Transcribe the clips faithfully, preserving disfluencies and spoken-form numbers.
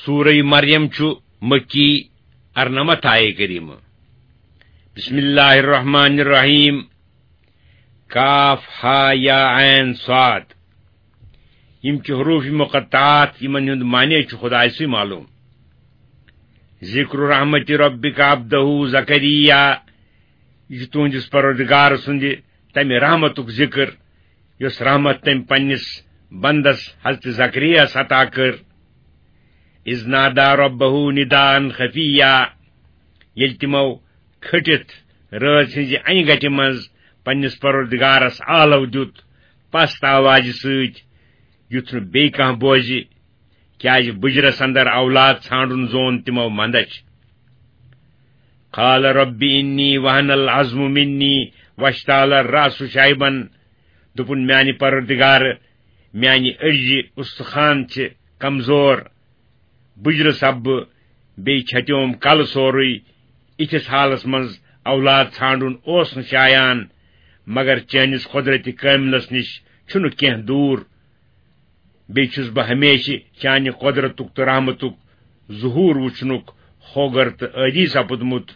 سورہ مریم چھُ مکی، ارنمتھ آیے کریمہ۔ بسم اللہ الرحمن الرحیم۔ کاف ہا یا عین صاد۔ یِم چھِ حروف مقطعات، یِمن ہُنٛد معنی چھُ خدایہِ سٕے معلوم۔ ذکر رحمت ربک عبدہ زکریا، یہِ چھُ تُہنٛدِس پروردگار سٕنٛدِ تمہِ رحمتُک ذکر، یۄس رحمت تٔمۍ پننِس بندس حضرت زکریاہس عطا کٔر۔ اذ نادى ربه نداء خفيا، ییٚلہِ تِمو کھٔٹِتھ رٲژ ہٕنٛزِ انہِ گٹہِ منٛز پننِس پروردگارس آلو دیُت، پست آوازِ سۭتۍ، یُتھ نہٕ بیٚیہِ کانٛہہ بوزِ، کیازِ بُجرس اندر اولاد ژھانڈُن زون تِمو مندچھ۔ قال رب انی وهن العظم منی واشتعل الرأس شیبا، دوٚپُن، میانہِ پروردگار، میانہِ أڈجہِ استخوان چھِ کمزور، بُجرٕ سپبہٕ، بیٚیہِ چھتیوم کلہٕ سورُے۔ یِتھِس حالس منٛز اولاد ژھانڈُن اوس نہٕ شایان، مگر چٲنِس قۄدرتِ کٲملس نِش چھُنہٕ کینٛہہ دوٗر۔ بیٚیہِ چھُس بہٕ ہمیشہِ چانہِ قۄدرتُک تہٕ رحمتُک ظہوٗر وُچھنُک ہوگر تہٕ عٲدی سپُدمُت۔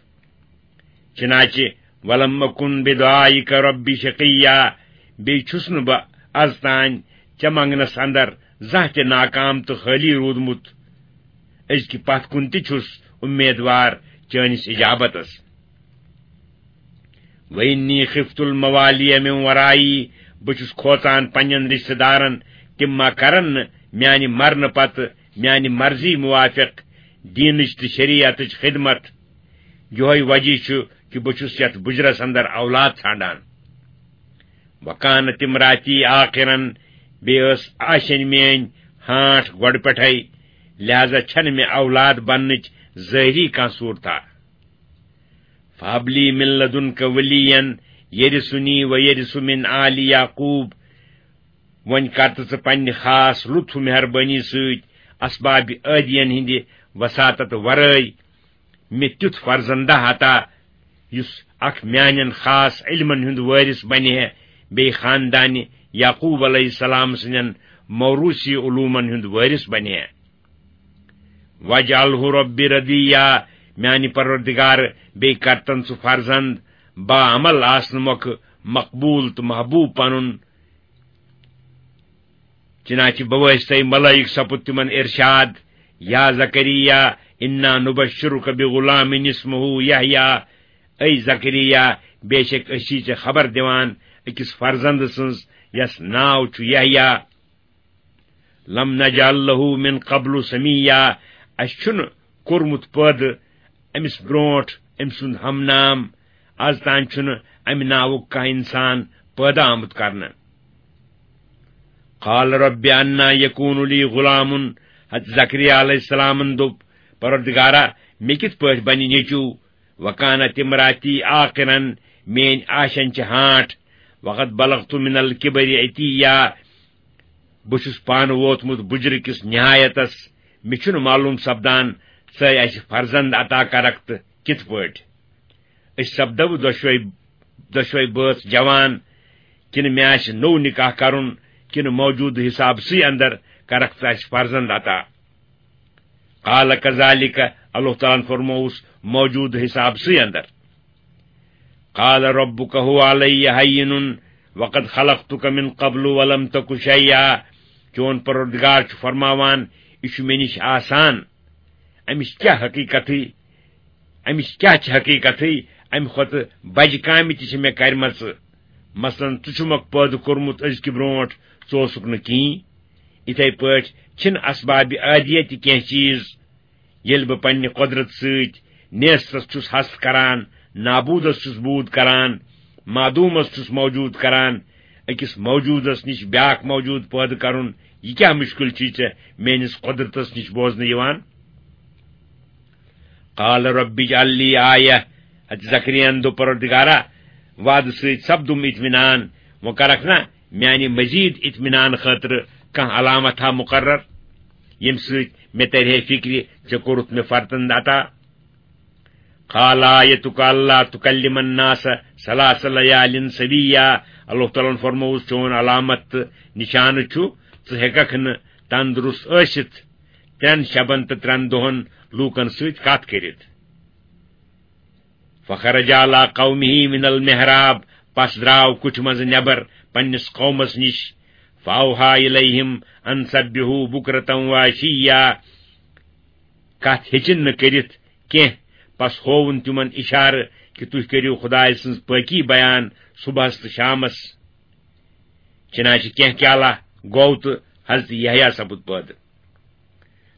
چنانچہ ولم اکن بدعائک رب شقیا، بیٚیہِ چھُس نہٕ بہٕ از تام ژےٚ منگنس اندر زانٛہہ تہِ ناکام تہٕ خٲلی روٗدمُت۔ أزکہِ پتھ کُن تہِ چھُس امیدوار چٲنِس اجابتس۔ وَإِنِّي خِفْتُ الْمَوَالِيَ مِنْ وَرَائِي، بہٕ چھُس کھوژان پننٮ۪ن رشتہٕ دارن، تِم ما کرن نہٕ میانہِ مرنہٕ پتہٕ میانہِ مرضی موافق دینٕچ تہٕ شریعتٕچ خدمت۔ یِہوٚے وجہ چھُ کہِ بہٕ چھُس یتھ بُجرس اندر اولاد ژھانڈان۔ وَكَانَتِ امْرَأَتِي عَاقِرًا، بیٚیہِ ٲس آشینۍ میٲنۍ ہانٹھ گۄڈٕ پٮ۪ٹھے، لہذا چھنہٕ مےٚ اولاد بننٕچ ظٲہری کانٛہہ صورتھا۔ فَهَبْ لِي مِن لَّدُنكَ وَلِيًّا يَرِثُنِي وَيَرِثُ مِنْ آلِ يَعْقُوبَ۔ وۄنۍ کر تہٕ ژٕ پننہِ خاص لطف و مہربٲنی سۭتۍ اسباب عٲدین ہٕنٛدِ وساطت ورٲے مےٚ تیُتھ فرزندہ عطا، یُس اکھ میانٮ۪ن خاص علمن ہُنٛد وٲرث بنہِ ہے، بیٚیہِ خاندانہِ یعقوب علیہ السلام سٕنٛدٮ۪ن موروثی علومن ہُنٛد وٲرث بنہِ ہے۔ وَاجْعَلْهُ رَبِّ رَضِيًّا، میانہِ پروردگار، بیٚیہِ کرتن ژٕ فرزند با عمل آسنہٕ مۄکھٕ مقبول تہٕ محبوب پنُن۔ چنانچہ بوٲسۍ تَے ملٲیِک سپُد تِمن ارشاد، یا زکریا، انا نبشرک بغلام اسمہ یحییٰ، اے زکریا، بے شک أسۍ چھِ ژےٚ خبر دِوان أکِس فرزند سٕنٛز، یس ناو چھُ یحییٰ۔ لم نجعل له من قبل سمیا، اسہِ چھُنہٕ کوٚرمُت پٲدٕ أمِس برونٛٹھ أمۍ سُنٛد ہم نام، از تام چھُنہٕ امہِ ناوُک کانٛہہ انسان پٲدٕ آمُت کرنہٕ۔ قال رب انا یکون لی غلام، حضرت زکریا علیہ السلامن دوٚپ، پروردگارا، مےٚ کِتھ پٲٹھۍ بنہِ نیٚچو؟ وکانت امراتی عاقرا، میٲنۍ آشن چھِ ہانٹ۔ وقد بلغت من الکبر عتیا، بہٕ چھُس پانہٕ ووتمُت بُجرٕ کِس نہایتس۔ مےٚ چھُنہٕ معلوم سپدان، ژٕ اسہِ فرزند عطا کرکھ تہٕ کِتھ پٲٹھۍ۔ أسۍ سپدو دۄشوے، دۄشوے بٲژ جوان، کِنہٕ مےٚ آسہِ نوٚو نکاح کرُن، کِنہٕ موجودٕ حساب سٕے اندر کرکھ ژٕ اسہِ فرزند عطا؟ قال کذالک، اللہ تعالیٰ ہن فرمووُس، موجودٕ حساب سٕے اندر۔ قال ربک هو علی هین وقد خلقتک من قبل ولم تک شیئا، چون پروردگار چھُ فرماوان، یہِ چھُ مےٚ نِش آسان۔ امِچ کیٛاہ حقیقتٕے، امِچ کیٛاہ چھِ حقیقتٕے، امہِ کھۄتہٕ بجہِ کامہِ تہِ چھِ مےٚ کرِمژٕ۔ مثلاً، ژٕ چھُمکھ پٲدٕ کوٚرمُت أزکہِ برونٛٹھ، ژٕ اوسُکھ نہٕ کِہیٖنۍ۔ یِتھے پٲٹھۍ چھِنہٕ اسبابِ عادیہ تہِ کینٛہہ چیٖز۔ ییٚلہِ بہٕ پننہِ قۄدرت سۭتۍ نیستس چھُس ہست کران، نابودس چھُس بود کران، معدومس چھُس موجود کران، أکِس موجودس نِش بیاکھ موجود پٲدٕ کرُن، یہِ کیٛاہ مُشکِل چھُے ژےٚ میٲنِس قۄدرتس نِش بوزنہٕ یِوان؟ قال رب اجعل لی آیہ، حضرت زکریاہن دوٚپ، پروردگارا، وعدٕ سۭتۍ سپدُم اطمینان، وۄنۍ کرکھ نا میانہِ مزید اطمینان خٲطرٕ کانٛہہ علامت ہا مقرر، ییٚمہِ سۭتۍ مےٚ ترِ ہے فکرِ، ژےٚ کوٚرُتھ مےٚ فرزند عطا۔ قال آیتک اللہ تکلم الناس ثلاث لیال سویا، اللہ تعالیٰ ہن فرمووُس، چون علامت تہٕ نشانہٕ چھُ، ژٕ ہیٚککھ نہٕ تندرست ٲسِتھ ترٛٮ۪ن شبن تہٕ ترٛٮ۪ن دۄہن لوٗکن سۭتۍ کتھ کٔرِتھ۔ فخرج علی قومہ من المحراب، پس درٛاو کُٹھِ منٛزٕ نٮ۪بر پننِس قومس نِش۔ فاوحیٰ الیہم ان سبحوا بکرۃ وعشیٰ، کتھ ہیٚچِن نہٕ کٔرِتھ کینٛہہ، پس ہووُن تِمن اشارٕ کہِ تُہۍ کٔرِو خدایہِ سٕنٛز پٲکی بیان صبحس تہٕ شامس۔ چنانچہ کینٛہہ کالہ گوٚو تہٕ حضرت یحییٰ سپُد پٲدٕ۔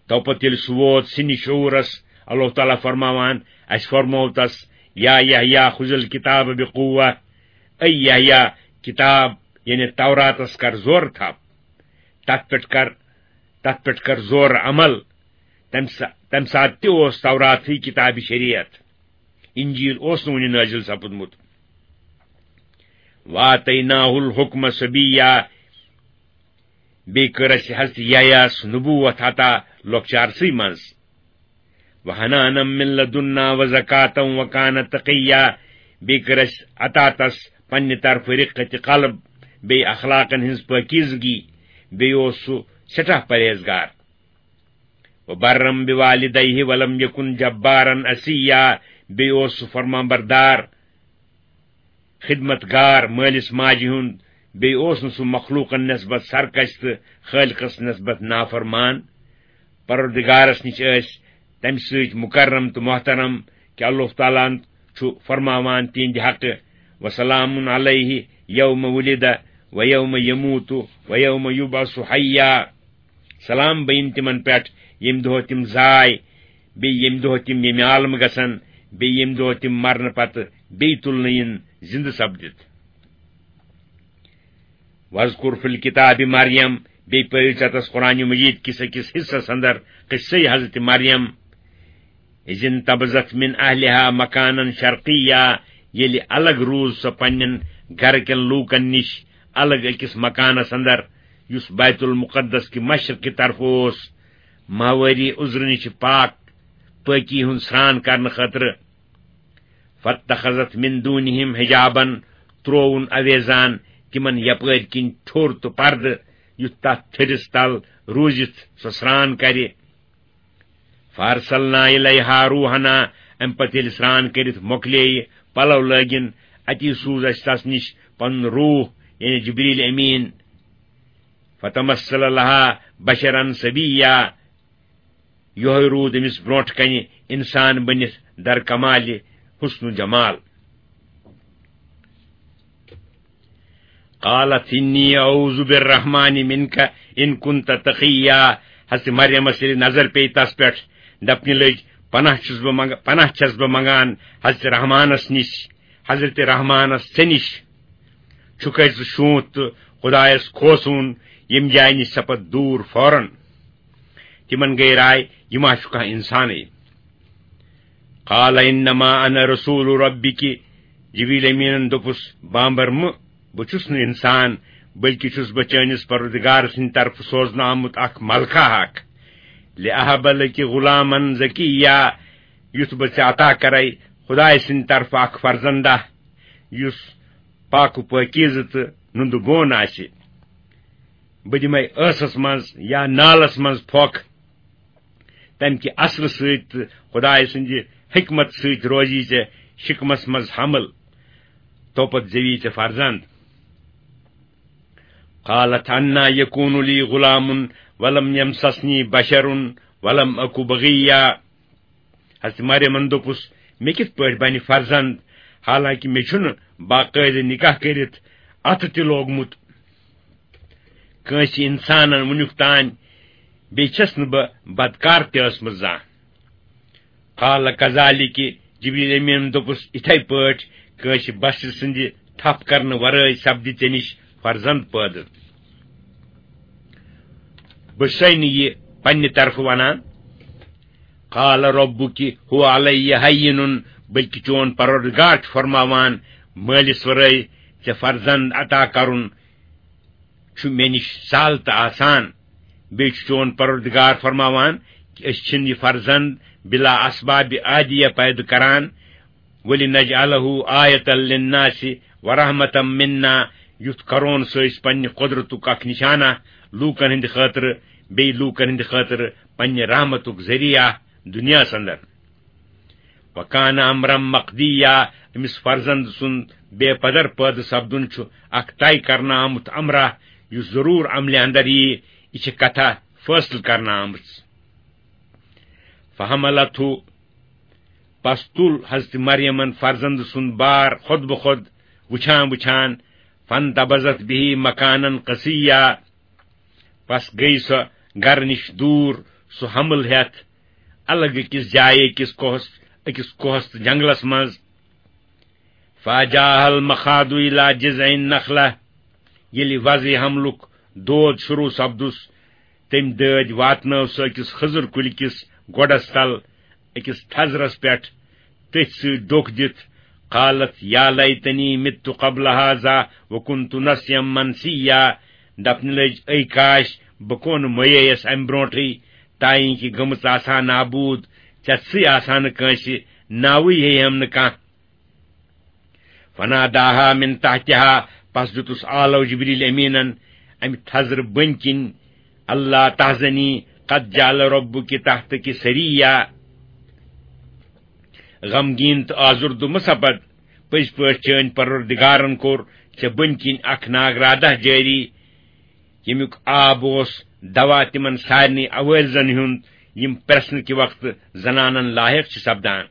تو پتہٕ ییٚلہِ سُہ ووت سِنہِ شعوٗرس، اللہ تعالیٰ فرماوان، اسہِ فرموو تس، یا یحییٰ خذ الکتاب بقوة، اے یحییٰ، کتاب یعنی توراتس کر زورٕ تھپھ، تتھ پٮ۪ٹھ کر، تتھ پٮ۪ٹھ کر زورٕ عمل۔ تمہِ سا-، تمہِ ساتہٕ تہِ اوس توراتٕے کتابِ شریعت، انجیل اوس نہٕ وُنہِ نٲزِل سپُدمُت۔ وآتیناہ الحکم صبیا، بیٚیہِ کٔر اسہِ حضرت یحییٰ ہس نبوت عطا لۄکچارسٕے منٛز۔ وحنانا من لدنا وزکاة وکان تقیا، بیٚیہِ کٔر اسہِ عطا تس پننہِ طرفہٕ رقت قلب، بیٚیہِ اخلاقن ہٕنٛز پٲکیزگی، بیٚیہِ اوس سُہ سٮ۪ٹھاہ پرہیزگار۔ وبرا بوالدیہ ولم یکن جبارا عصیا، بیٚیہِ اوس سُہ فرمان بردار، خدمت گار مٲلِس ماجہِ ہُنٛد، بیٚیہِ اوس نہٕ سُہ مخلوقن نسبت سرکش تہٕ خالقس نسبت نافرمان۔ پروردگارس نِش ٲسۍ تمہِ سۭتۍ مکرم تہٕ محترم کہِ اللہ تعالیٰ ہن چھُ فرماوان تِہنٛدِ حقہٕ، وسلام علیہ یوم ولد و یوم یموت و یوم یبعث حیا۔ سلام بین تِمن پٮ۪ٹھ، ییٚمہِ دۄہ تِم زاے، بیٚیہِ ییٚمہِ دۄہ تِم ییٚمہِ عالمہٕ گژھن، بیٚیہِ ییٚمہِ دۄہ تِم مرنہٕ پتہٕ بیٚیہِ تُلنہٕ یِن زِندٕ سپدِتھ۔ واذکر فی الکتاب مریم، بیٚیہِ پٔرِو ژےٚ تس قرآن مجید کِس أکِس حصس اندر قصے حضرت مریم۔ اذ انتبذت من اہلہا مکانا شرقیا، ییٚلہِ الگ روٗز سۄ پننٮ۪ن گرٕ کٮ۪ن لوٗکن نِش الگ أکِس مکانس اندر، یُس بیت المقدس کہِ مشرق کہِ طرفہٕ اوس، ماہوٲری عذرٕ نِش پاک، پٲکی ہُنٛد سرٛان کرنہٕ خٲطرٕ۔ فاتخذت من دونہم حجابا، ترووُن اویزان تِمن یپٲرۍ کِنۍ ٹھوٚر تہٕ پردٕ، یُتھ تتھ ٹھٔرِس تل روٗزِتھ سۄ سرٛان کرِ۔ فارسلنا الیہا روحنا، امہِ پتہٕ ییٚلہِ سرٛان کٔرِتھ مۄکلییہِ، پلو لٲگِن، اتی سوٗز اسہِ تس نِش پنُن روح، یعنی جبریل امین۔ فتمثل لہا بشرا سویا، یۄہے روٗد أمِس برونٛٹھ کنہِ انسان بٔنِتھ در کمالِ حسن و جمال۔ قالت انی اعوذ بالرحمن منک ان کنت تقیا۔ حضرت مریمس ییٚلہِ نظر پیٚیہِ تس پٮ۪ٹھ، دپنہِ لٔج، پناہ چھُس بہٕ منگ-، پناہ چھَس بہٕ منگان حضرت رحمانس نِش، حضرت رحمانس ژےٚ نِش۔ چھُکھے ژٕ شونٛتھ تہٕ خدایس کھوژوُن، ییٚمہِ جایہِ نِش سپد دوٗر فوراً۔ تِمن گٔے راے، یہِ ما چھُ کانٛہہ انسانٕے۔ قال انما انا رسول ربک، جبریل امینن دوٚپُس، بامبر مہٕ، بہٕ چھُس نہٕ انسان، بلکہِ چھُس بہٕ چٲنِس پروردگار سٕنٛدِ طرفہٕ سوزنہٕ آمُت اکھ ملکہ اکھ۔ لأہب لک غلاما زکیا، یُتھ بہٕ ژےٚ عطا کرے خدایہِ سٕنٛدِ طرفہٕ اکھ فرزندہ، یُس پاک و پٲکیٖزٕ تہٕ نُندٕ بون آسہِ۔ بہٕ دِمے ٲسس منٛز یا نالس منٛز پھۄکھ، تمہِ کہِ اثرٕ سۭتۍ تہٕ خدایہِ سٕنٛدِ حکمت سۭتۍ روزی ژےٚ شکمس منٛز حمل، توپتہٕ زیوی ژےٚ فرزند۔ قالت انا یکون لی غلام ولم یمسسنی بشر ولم اک بغیا۔ حضرت مریمن دوٚپُس، مےٚ کِتھ پٲٹھۍ بنہِ فرزند، حالانکہِ مےٚ چھُنہٕ باقٲعدٕ نکاح کٔرِتھ اتھٕ تہِ لوگمُت کٲنٛسہِ انسانن وُنیُک تام، بیٚیہِ چھَس نہٕ بہٕ بدکار تہِ ٲسمٕژ زانٛہہ۔ قال کذالک، جبریل امیٖنن دوٚپُس، یِتھے پٲٹھۍ کٲنٛسہِ بشرٕ سٕنٛدِ تھپھ کرنہٕ ورٲے سپدِ ژےٚ نِش فرزند پٲدٕ۔ بہٕ چھُسے نہٕ یہِ پننہِ طرفہٕ ونان۔ قال ربک هو علی هین، بلکہِ چون پروردگار چھُ فرماوان، مٲلِس ورٲے ژےٚ فرزند عطا کرُن چھُ مےٚ نِش سہل تہٕ آسان۔ بیٚیہِ چھُ چون پروردگار فرماوان کہِ أسۍ چھِنہٕ یہِ فرزند بلا اسباب عادیہ پٲدٕ کران۔ ولنجعلہ آیۃ للناس ورحمۃ منا، یُتھ کرون سُہ أسۍ پننہِ قدرتُک اکھ نشانہ لوٗکن ہٕنٛدِ خٲطرٕ، بیٚیہِ لوٗکن ہٕنٛدِ خٲطرٕ پننہِ رحمتُک ذٔریعہٕ دُنیاہس اندر۔ وکان امرا مقضیا، أمِس فرزند سُنٛد بے پدر پٲدٕ سپدُن چھُ اکھ طے کرنہٕ آمُت امرا، یُس ضروٗر عملہِ اندر یِیہِ۔ یہِ چھِ کتھا فٲصلہٕ کرنہٕ آمٕژ۔ فحملتہ، پس تُل حضرت مریمن فرزند سُنٛد بار خود بخود وُچھان وُچھان، فانتبذت بہ مکانا قصیا، پس گٔیہِ سۄ گرٕ نِش دوٗر، سُہ حمل ہٮ۪تھ الگ أکِس جایہِ، أکِس کوہس، أکِس کوہس تہٕ جنگلس منٛز۔ فاجاءها المخاض الى جذع النخلة، ییٚلہِ وضعِ حملُک دود شروع سپدُس، تٔمۍ دٲدۍ واتنٲو سۄ أکِس خٔزٕر کُلۍ کِس گۄڈس تل، أکِس تھزرس پٮ۪ٹھ، تٔتھۍ سۭتۍ ڈوٚکھ دِتھ۔ قالت یا لیتنی مت قبل هذا وکنت نسیا منسیا، دپنہِ لٔج، اے کاش، بہٕ کون مۄیییس امہِ برونٹھٕے، تاینکہِ گٔمٕژ آسہٕ ہا نابوٗد، ژےٚ سٕے آسہٕ ہا نہٕ کٲنٛسہِ ناوٕے ہیٚیہِ ہم نہٕ کانٛہہ۔ فناداها من تحتها، پس دیُتُس آلو جبریل امیٖنن امہِ تھزرٕ بٔنۍ کِنۍ، اللہ تحزنی قد جعل ربک تحتک سریا۔ غمگیٖن تہٕ آزُردٕ مہ سپد، پٔزۍ پٲٹھۍ چٲنۍ پروردگارن کوٚر ژےٚ بٔنۍ کِنۍ اکھ ناگرادہ جٲری، ییٚمیُک آب اوس دوا تِمن سارنٕے عوٲرضن ہُنٛد، یِم پرٛژھنہٕ کہِ وقتہٕ زنانن لایق چھِ سپدان۔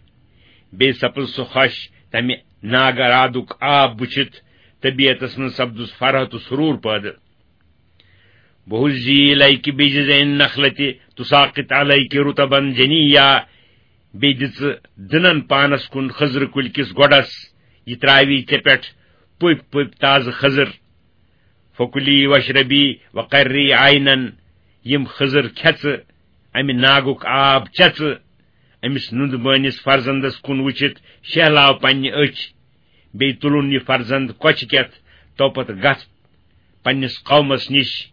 بیٚیہِ سپٕز سُہ خۄش تمہِ ناگرادُک آب وُچھِتھ، طبیعتس منٛز سپدُس فرحت و سرور پٲدٕ۔ وہزی الیک بجذع النخلة تساقط علیک رطبا جنیا، بیٚیہِ دِ ژٕ دٕنن پانس کُن خٔزرٕ کُلۍ کِس گۄڈس، یہِ تراوی ژےٚ پٮ۪ٹھ پٔپۍ پٔپۍ تازٕ خٔزٕر۔ فکلی واشربی وقری عینا، یِم خٔزٕر کھےٚ ژٕ، امہِ ناگُک آب چےٚ ژٕ۔ أمِس نُندٕ بٲنِس فرزندس کُن وُچھِتھ شہلاو پننہِ أچھ، بیٚیہِ تُلُن یہِ فرزند کۄچھِ کٮ۪تھ، توپتہٕ گژھ پننِس قومس نِش۔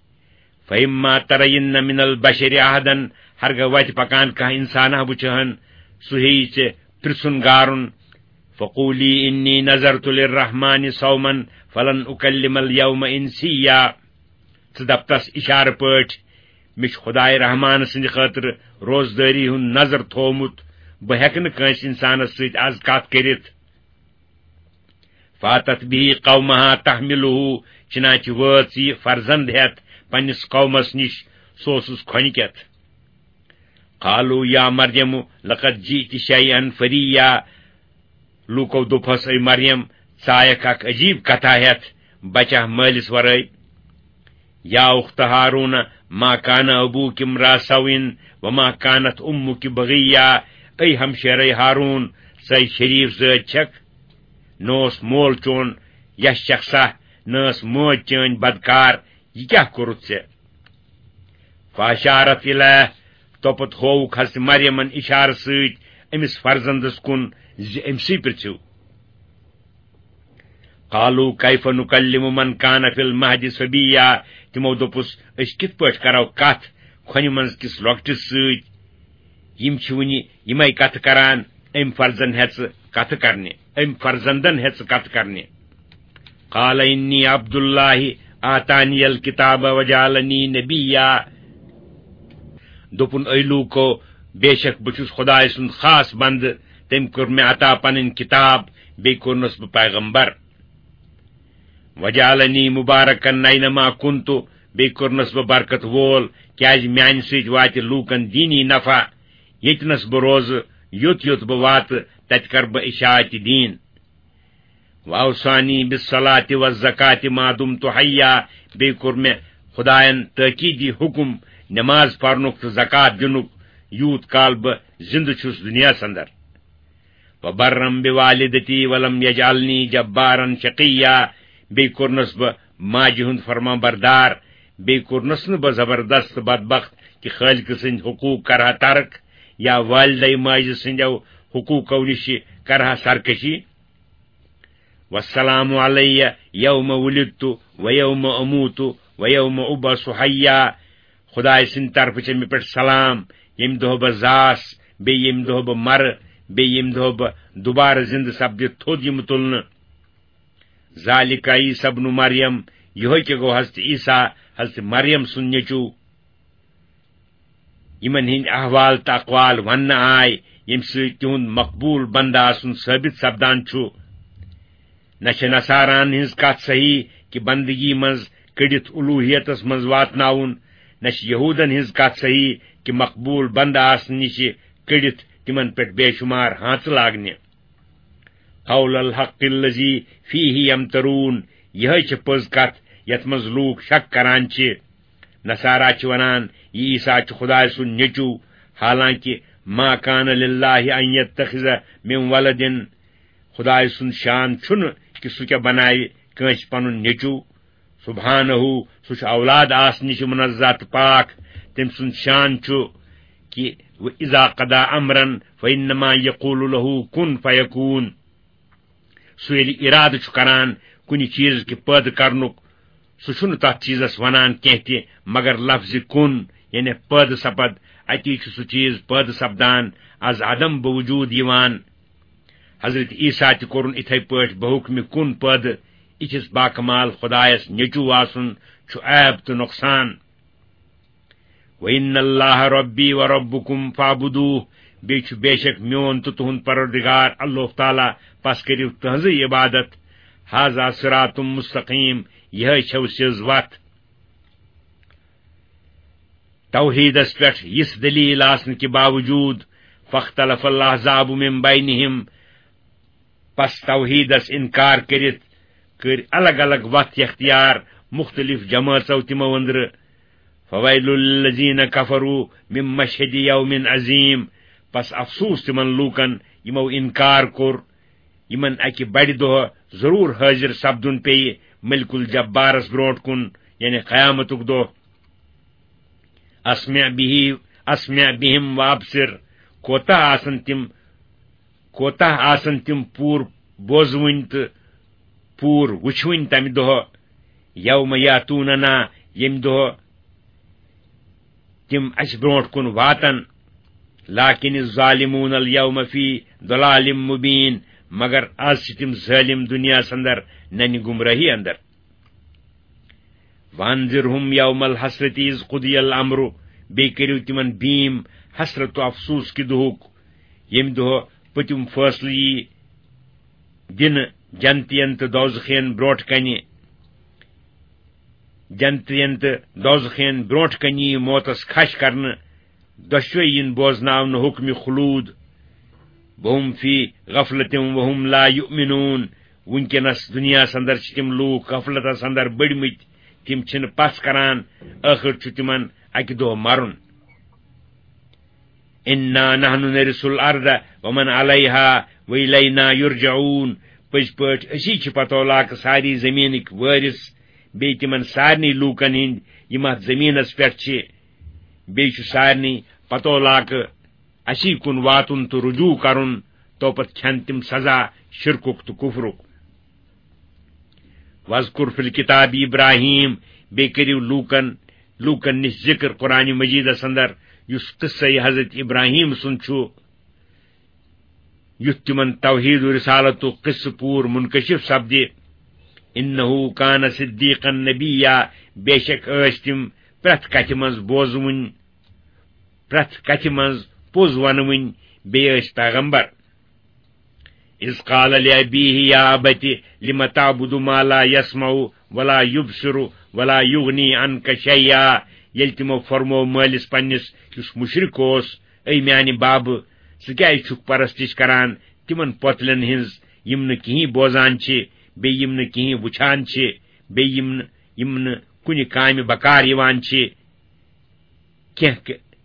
فإما ترين من البشر أحدا، ہرگاہ وتہِ پکان کانٛہہ انسانہ وُچھہن، سُہ ہیٚیہِ ژےٚ پرژھُن گارُن۔ فقولی إني نذرت للرحمن صوما فلن أكلم اليوم إنسيا۔ ژٕ دپ تس اشارٕ پٲٹھۍ، مےٚ چھُ خداے رحمان سٕنٛدِ خٲطرٕ روزدٲری ہُنٛد نذر تھوومُت، بہٕ ہٮ۪کہٕ نہٕ کٲنٛسہِ انسانس سۭتۍ از کتھ کٔرِتھ۔ فاتت به قومها تحمله، چنانچہ وٲژ یہِ فرزند ہٮ۪تھ پننِس قومس نِش، سُہ اوسُس کھۄنہِ کٮ۪تھ۔ قالوا يا مريم لقد جئت شيئا فريا، لوٗکو دوٚپہس، اے مریم، ژٕ آیکھ اکھ عجیٖب کتھا ہٮ۪تھ، بچہ مٲلِس ورٲے۔ يا أخت هارون ما كان أبوك امرأ سوء وما كانت أمك بغيا، اے ہمشیرے ہارون، ژے شریف زٲج چھکھ، نہ اوس مول چون یس شخصا، نہ ٲس مٲج چٲنۍ بدکار، یہِ کیٛاہ کوٚرُتھ ژےٚ؟ فاشارت الیہ، توپت ہووُکھ حضرت مریمن اشارٕ سۭتۍ أمِس فرزندس کُن زِ أمۍ سٕے پرژھِو۔ قالوا كيف نكلم من كان في المهد صبيا، تِمو دوٚپُس، أسۍ کِتھ پٲٹھۍ کرو کتھ کھۄنہِ منٛز کِس لۄکٹِس سۭتۍ؟ یِم چھِ وُنہِ یِمے کتھٕ کران، أمۍ فرزن ہٮ۪ژٕ کتھٕ کرنہِ، أمۍ فرزندن ہٮ۪ژٕ کتھٕ کرنہِ۔ قال إني عبد الله آتاني الكتاب وجعلني نبيا۔ دوٚپُن، اے لوٗکو، بے شک بہٕ چھُس خداے سُنٛد خاص بندٕ، تٔمۍ کوٚر مےٚ عطا پنٕنۍ کتاب، بیٚیہِ کوٚرنس بہٕ پیغمبر۔ وجعلني مباركا أينما كنت، بیٚیہِ کوٚرنس بہٕ برکت وول، کیازِ میانہِ سۭتۍ واتہِ لوٗکن دینی نفع۔ ییٚتہِ نس بہٕ روزٕ، یوٚت یوٚت بہٕ واتہٕ، تتہِ کرٕ بہٕ اشاعت دین۔ وأوصاني بالصلاة والزكاة ما دمت حيا، بیٚیہِ کوٚر مےٚ خداین تٲکیٖدی حکم نماز پرنُک تہٕ زکات دِنُک، یوٗت کال بہٕ زِندٕ چھُس دُنیاہس اندر۔ وبرا بوالدتي ولم يجعلني جبارا شقيا، بیٚیہِ کوٚرنس بہٕ ماجہِ ہُنٛد فرمان بردار، بیٚیہِ کوٚرنس نہٕ بہٕ زبردست بدبخت کہِ خالقہٕ سٕنٛدۍ حقوٗق کرٕ ہا ترک یا والدے ماجہِ سٕنٛدیو حقوٗقو نِش کرٕ ہا سرکشی۔ والسلام علي يوم ولدت ويوم أموت ويوم أبعث حيا۔ خداے سٕنٛدِ طرفہٕ چھےٚ مےٚ پٮ۪ٹھ سلام، ییٚمہِ دۄہ بہٕ زاس، بیٚیہِ ییٚمہِ دۄہ بہٕ مرٕ، بیٚیہِ ییٚمہِ دۄہ بہٕ دُبارٕ زِندٕ سپدِتھ تھوٚد یِمہٕ تُلنہٕ۔ ذلك عيسى ابن مريم، یِہوٚے کہِ گوٚو حضرت عیسیٰ حضرت مریم سُنٛد نیٚچوٗ، یِمن ہٕنٛدۍ احوال تہٕ اقوال وننہٕ آے، ییٚمہِ سۭتۍ تِہُنٛد مقبوٗل بندٕ آسُن ثٲبت سپدان چھُ۔ نہ چھِ نصاران ہٕنٛز کتھ صحیح کہِ بندگی منٛز کٔڑِتھ الوہیتس منٛز واتناوُن، نہ چھِ یہودن ہٕنٛز کتھ صحیح کہِ مقبوٗل بندٕ آسنہٕ نِش کٔڑِتھ تِمن پٮ۪ٹھ بے شمار ہانژٕ لاگنہِ۔ قول الحق الذی فیہ یمترون، یِہے چھِ پٔز کتھ یتھ منٛز لوٗکھ شک کران چھِ۔ نصارا چھِ ونان، یہِ عیسیٰ چھُ خدایہِ سُنٛد نیٚچوٗ، حالانکہ ما کان للہ ان یتخذ من ولد، خدایہِ سُنٛد شان چھُنہٕ کہِ سُہ کیٛاہ بناوِ کٲنٛسہِ پنُن نیٚچوٗ۔ سبحانہ، سُہ چھُ اولاد آسنہٕ نِش منزہ تہٕ پاک۔ تٔمۍ سُنٛد شان چھُ کہِ و اذا قضا امرا فانما یقول له کن فیکون۔ سُہ ییٚلہِ اِرادٕ چھُ کران کُنہِ چیٖز کہِ پٲدٕ کرنُک، سُہ چھُنہٕ تتھ چیٖزس ونان کینٛہہ تہِ مگر لفظِ کُن، یعنی پٲدٕ سپد۔ اتی چھُ سُہ چیٖز پٲدٕ سپدان، از عدم بوجود یِوان۔ حضرت عیسیٰ تہِ کوٚرُن اِتھے پٲٹھۍ بحُکمِ کُن پٲدٕ۔ یِتھِس باکمال خدایس نیٚچوٗ آسُن چھُ عیب تہٕ نۄقصان۔ وَإِنَّ اللَّهَ رَبِّي وَرَبُّكُمْ فَاعْبُدُوهُ، بیٚیہِ چھُ بے شک میون تہٕ تُہُنٛد پروردگار اللہ تعالیٰ، پس کٔرِو تٕہٕنٛزٕے عبادت۔ هَذَا صِرَاطٌ مُسْتَقِيمٌ، یِہے چھو سیٚز وتھ۔ توحیدس پٮ۪ٹھ یِژھ دلیل آسنہٕ کہِ باوجود، فَاخْتَلَفَ الْأَحْزَابُ مِنْ بَيْنِهِمْ، پس توحیدس انکار کٔرِتھ کٔرۍ الگ الگ وتھ اختیار مختلف جمٲژو تِمو أنٛدرٕ۔ فَوَيْلٌ لِلَّذِينَ كَفَرُوا مِنْ مَشْهَدِ يَوْمٍ عَظِيمٍ، پس افسوس تِمن لوٗکن یِمو انکار کوٚر، یِمن اکہِ بڑِ دۄہ ضروٗر حٲضِر سپدُن پیٚیہِ ملک الجبارس برونٛٹھ کُن، یعنی قیامتُک دۄہ۔ اسمع به، اسمع بهم وابصر، کوتاہ آسن تِم، کوتاہ آسن تِم پوٗرٕ بوزوٕنۍ تہٕ پوٗرٕ وٕچھوٕنۍ تمہِ دۄہ، یوم یاتوننا، ییٚمہِ دۄہ تِم اسہِ برونٛٹھ کُن واتن۔ لكن الظالمون اليوم في ضلال مبين، مگر از چھِ تِم ظٲلِم دُنیاہس اندر ننہِ گمراہی اندر۔ وَأَنذِرْهُمْ يَوْمَ الْحَسْرَةِ إِذْ قُضِيَ الْأَمْرُ، بیٚیہِ کٔرِو تِمن بیٖم حسرت و افسوس کہِ دُہُک، ییٚمہِ دۄہ پٔتِم فٲصلہٕ یی دِنہٕ جنتین تہٕ دوزخین برونٛٹھ کنہِ۔ جنتین تہٕ دوزخین برونٛٹھ کنہِ یی موتس کھش کرنہٕ، دۄشوے یِن بوزناونہٕ حُکمِ خلود۔ وَهُمْ فِي غَفْلَةٍ وَهُمْ لَا يُؤْمِنُونَ۔ وٕنکیٚنس دُنیاہس اندر چھِ تِم لوٗکھ غفلتس اندر بٔڑمٕتۍ، تِم چھِنہٕ پژھ کران، ٲخٕر چھُ تِمن اکہِ دۄہ مرُن۔ إِنَّا نَحْنُ نَرِثُ الْأَرْضَ وَمَنْ عَلَيْهَا وَإِلَيْنَا يُرْجَعُونَ۔ پٔزۍ پٲٹھۍ أسی چھِ پتولاکہٕ ساری زٔمیٖنٕکۍ وٲرِث، بیٚیہِ تِمن سارنٕے لوٗکن ہٕنٛدۍ یِم اتھ زٔمیٖنس پٮ۪ٹھ چھِ، بیٚیہِ چھُ سارنٕے پتولاکہٕ اسی کُن واتُن تہٕ رجوع کرُن، تو پتہٕ کھٮ۪ن تِم سزا شرکُک تہٕ کفرُک۔ وَاذْكُرْ فِي الْكِتَابِ إِبْرَاهِيمَ، بیٚیہِ کٔرِو لوٗکن، لوٗکن نِش ذِکر قرآنِ مجیٖدس اندر، یُس قصے حضرت ابراہیم سُنٛد چھُ، یُتھ تِمن توحید و رسالتُک قصہٕ پوٗرٕ منکشف سپدِ۔ إِنَّهُ كَانَ صِدِّيقًا نَبِيًّا، بے شک ٲسۍ تِم پرٛٮ۪تھ کتھِ منٛز بوزوٕنۍ، پرٛٮ۪تھ کتھِ منٛز پوٚز ونوٕنۍ، بیٚیہِ ٲسۍ پیغمبر۔ إِذْ قَالَ لِأَبِيهِ يَا أَبَتِ لِمَ تَعْبُدُ مَا لَا يَسْمَعُ وَلَا يُبْصِرُ وَلَا يُغْنِي عَنْكَ شَيْئًا، ییٚلہِ تِمو فرموو مٲلِس پننِس، یُس مُشرِک اوس، اے میانہِ بابہٕ، ژٕ کیازِ چھُکھ پرستش کران تِمن پۄتلٮ۪ن ہٕنٛز، یِم نہٕ کِہیٖنۍ بوزان چھِ، بیٚیہِ یِم نہٕ کِہیٖنۍ وٕچھان چھِ، بیٚیہِ یِم نہٕ، یِم نہٕ کُنہِ کامہِ بکار یِوان چھِ؟ کینٛہہ ک-،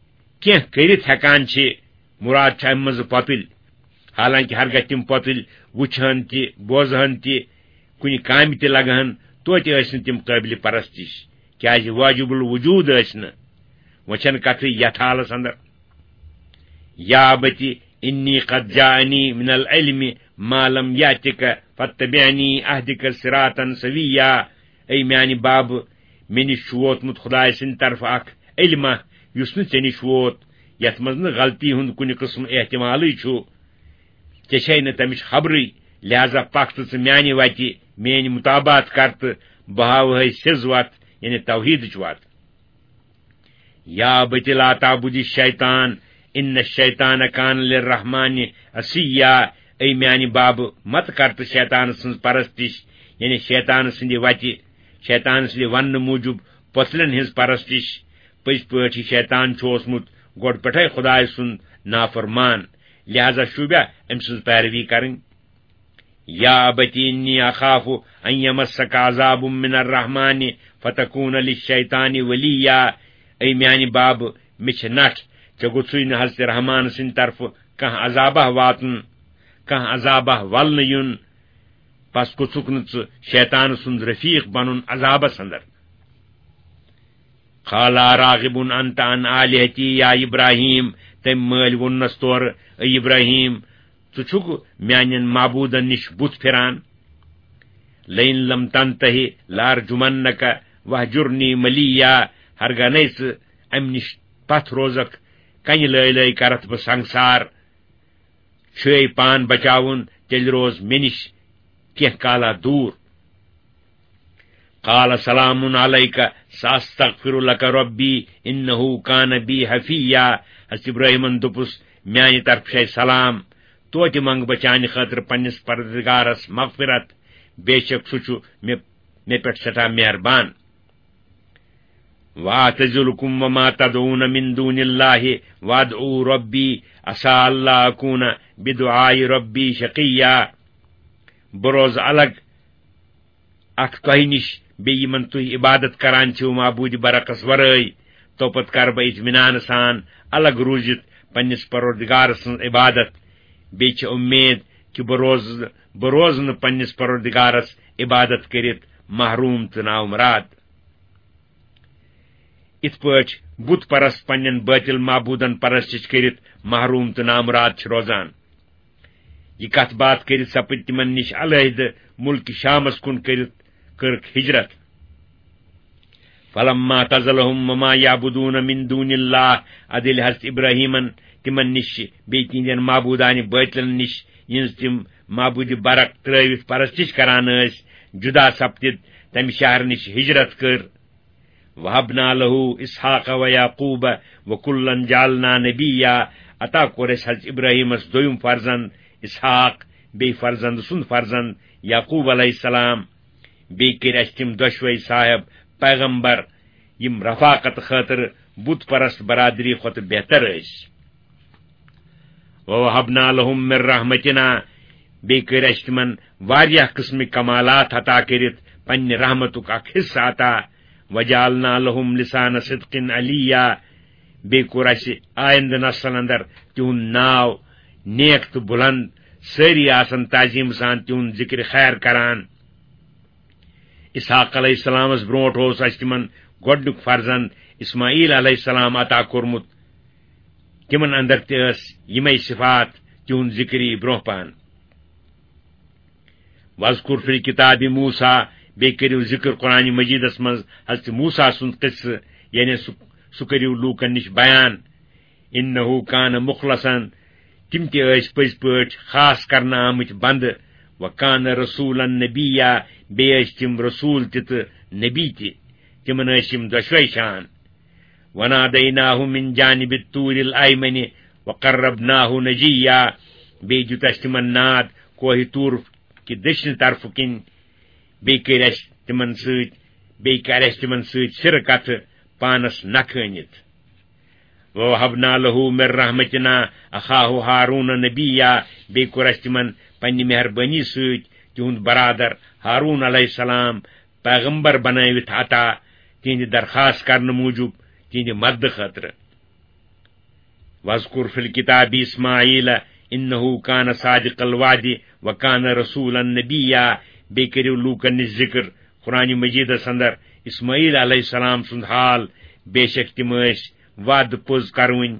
کینٛہہ کٔرِتھ ہٮ۪کان چھِ، مُراد چھُ اَمہِ منٛزٕ پۄپِلۍ۔ حالانکہِ ہرگاہ تِم پۄپِلۍ وٕچھہن تہِ، بوزہن تہِ، کُنہِ کامہِ تہِ لگہن، توتہِ ٲسۍ نہٕ تِم قٲبلِ پرستش، کیازِ واجب الوجود ٲسۍ نہٕ۔ وۄنۍ چھَنہٕ کتھٕے یتھ حالس اندر۔ يَا أَبَتِ إِنِّي قَدْ جَاءَنِي مِنَ الْعِلْمِ مَا لَمْ يَأْتِكَ فَاتَّبِعْنِي أَهْدِكَ صِرَاطًا سَوِيًّا۔ اے میانہِ بابہٕ، مےٚ نِش چھُ ووتمُت خدایہِ سٕنٛدِ طرفہٕ اکھ علمہ، یُس نہٕ ژےٚ نِش ووت، یتھ منٛز نہٕ غلطی ہُنٛد کُنہِ قٕسمہٕ احتمالٕے چھُ۔ ژےٚ چھے نہٕ تمِچ خبرٕے، لہذا پکھ تہٕ ژٕ میانہِ وتہِ، میٲنۍ مطابعت کر تہٕ بہٕ ہاوہے سیٚز وتھ، یعنی توحیدٕچ وَتھ۔ یا ابت لا تعبد الشیطان، ان الشیطان کان للرحمن عصیا۔ اے میانہِ بابہٕ، مت کر تہٕ شیطان سٕنٛز پرستش، یعنی شیطان سٕنٛدِ وتہِ، شیطان سٕنٛدِ وننہٕ موٗجوٗب پۄژلن ہٕنٛز پرستش۔ پٔزۍ پٲٹھۍ یہِ شیطان چھُ اوسمُت گۄڈٕ پٮ۪ٹھے خدایہِ سُنٛد نافرمان، لہذا شوٗبیا أمۍ سٕنٛز پیروی کرٕنۍ۔ یا ابت انی اخاف ان یمسک عذاب من الرحمن فتکون للشیطان ولیا۔ اے میانہِ بابہٕ، مےٚ چھِ نٹھ، ژےٚ گوٚژھُے نہٕ حضرت رحمان سٕنٛدِ طرفہٕ کانٛہہ عذابہ واتُن، کانٛہہ عذابہ ولنہٕ یُن، پس گوٚژھُکھ نہٕ ژٕ شیطان سُنٛد رفیق بنُن عذابس اندر۔ قال اراغب انت عن آلہتی یا ابراہیم، تٔمۍ مٲلۍ ووٚننس تورٕ، اے ابراہیم، ژٕ چھُکھ میانٮ۪ن معبوٗدن نِش بُتھ پھِران؟ لئن لم تنتہِ لارجمنک واہجرنی ملیا۔ ہرگاہ نَے ژٕ امہِ نِش پتھ روزکھ، کنہِ لٲے لٲے کرتھ بہٕ سنگسار۔ چھُے پان بچاوُن، تیٚلہِ روز مےٚ نِش کینٛہہ کالا دوٗر۔ قال سلام علیک ساستغفر لک ربی انہ کان بی حفیا۔ حضرت ابراہیمن دوٚپُس، میانہِ طرفہٕ چھے سلام، توتہِ منٛگہٕ بہٕ چانہِ خٲطرٕ پننِس پروردگارس مغفرت، بے شک سُہ چھُ مےٚ، مےٚ پٮ۪ٹھ سٮ۪ٹھاہ مہربان۔ واعتزلکم وما تدعون من دون اللہ وادعو ربی عسى الا اکون بدعاء ربی شقیا۔ بہٕ روزٕ الگ اکھ تۄہہِ نِش، بیٚیہِ یِمن تُہۍ عبادت کران چھِو معبوٗدِ برحقس ورٲے، توپتہٕ کرٕ بہٕ اطمینان سان الگ روٗزِتھ پننِس پروردگار سٕنٛز عبادت۔ بیٚیہِ چھِ اُمید کہِ بہٕ روزٕ، بہٕ روزٕ نہٕ پننِس پروردگارس عبادت کٔرِتھ محروم تہٕ نامراد۔ یِتھ پٲٹھۍ بت پرست پننٮ۪ن باطل معبوٗدن پرستش کٔرِتھ محروم تہٕ نامراد چھِ روزان۔ یہِ کتھ باتھ کٔرِتھ سپٕدۍ تِمن نِش علیحدٕ مُلکہِ شامس کُن کٔرِتھ کٔرٕکھ ہجرت۔ فلما اعتزلهم وما يعبدون من دون الله، ادٕ ییٚلہِ حضرت ابراہیمن تِمن نِش بیٚیہِ تِہنٛدٮ۪ن معبوٗدانہِ بٲطلن نِش، یِہنٛز تِم معبوٗدِ برق ترٲوِتھ پرستش کران ٲسۍ، جدا سپدِتھ تمہِ شہرٕ نِش ہجرت کٔر۔ وَهَبْنَا لَهُ إِسْحَاقَ وَيَعْقُوبَ وَكُلًّا جَعَلْنَا نَبِيًّا۔ عطا کوٚر اَسہِ حضرت ابراہیمس دوٚیُم فرزند اسحاق، بیٚیہِ فرزند سُنٛد فرزند یعقوب علیہ السلام۔ بیٚیہِ کٔرۍ اَسہِ تِم دۄشوے صاحب پیغمبر، یِم رفاقت خٲطرٕ بت پرست برادری کھۄتہٕ بہتر ٲسۍ۔ وَوَهَبْنَا لَهُم مِّن رَّحْمَتِنَا، بیٚیہِ کٔرۍ اَسہِ تِمن واریاہ قٕسمٕکۍ کمالات عطا کٔرِتھ پننہِ رحمتُک اکھ حصہٕ عطا۔ وَجَعَلْنَا لَهُم لِّسَانَ صِدْقٍ عَلِيًّا، بیٚیہِ کوٚر اَسہِ آیندٕ نسلن اندر تِہُنٛد ناو نیک تہٕ بُلند، سٲری آسن تعظیٖم سان تِہُنٛد ذِکرِ خیر کران۔ اسحاق علیہ السلامس برونٹھ اوس اَسہِ تِمن گۄڈنیُک فرزند اسماعیل علیہ السلام عطا کوٚرمُت۔ تِمن اندر تہِ ٲس یِمے صفات، تِہُنٛد ذِکر یی برونٛہہ پہن۔ وَاذْكُرْ فِي الْكِتَابِ مُوسَىٰ، بیٚیہِ کٔرِو ذِکر قرآن مجیدس منٛز حضرت موسیٰ سُنٛد قصہٕ، یعنی سُہ، سُہ کٔرِو لوٗکن نِش بیان۔ اِنَّهُ كَانَ مُخْلَصًا، تِم تہِ ٲسۍ پٔزۍ پٲٹھۍ خاص کرنہٕ آمٕتۍ بندٕ۔ وَكَانَ رَسُولًا نَبِيًّا، بیٚیہِ ٲسۍ تِم رسول تہِ تہٕ نبی تہِ۔ تِمن ٲسۍ یِم دۄشوے شان۔ وَنَادَيْنَاهُ مِن جَانِبِ الطُّورِ الْأَيْمَنِ وَقَرَّبْنَاهُ نَجِيًّا، بیٚیہِ دیُت اَسہِ تِمن ناد کوہہِ طور کہِ دٔچھنہِ طرفہٕ کِنۍ، بیٚیہِ کٔرۍ اَسہِ تِمن سۭتۍ، بیٚیہِ کَرِ اَسہِ تِمن سۭتۍ سِرٕ کتھٕ پانس نکھٕ أنِتھ۔ وَوَهَبْنَا لَهُ مِن رَّحْمَتِنَا أَخَاهُ هَارُونَ نَبِيًّا، بیٚیہِ کوٚر اَسہِ تِمن پننہِ مہربٲنی سۭتۍ تِہُنٛد برادر ہارون علیہ السلام پیغمبر بنٲوِتھ عطا، تِہنٛدِ درخواست کرنہٕ موٗجوٗب، تِہنٛدِ مددٕ خٲطرٕ۔ وَاذْكُرْ فِي الْكِتَابِ إِسْمَاعِيلَ إِنَّهُ كَانَ صَادِقَ الْوَعْدِ وَكَانَ رَسُولًا نَبِيًّا، بیٚیہِ کٔرِو لوٗکن نِش ذِکر قرآن مجیدس اندر اسماعیل علیہ السلام سُنٛد حال، بے شک تِم ٲسۍ وعدٕ پوٚز کرونۍ،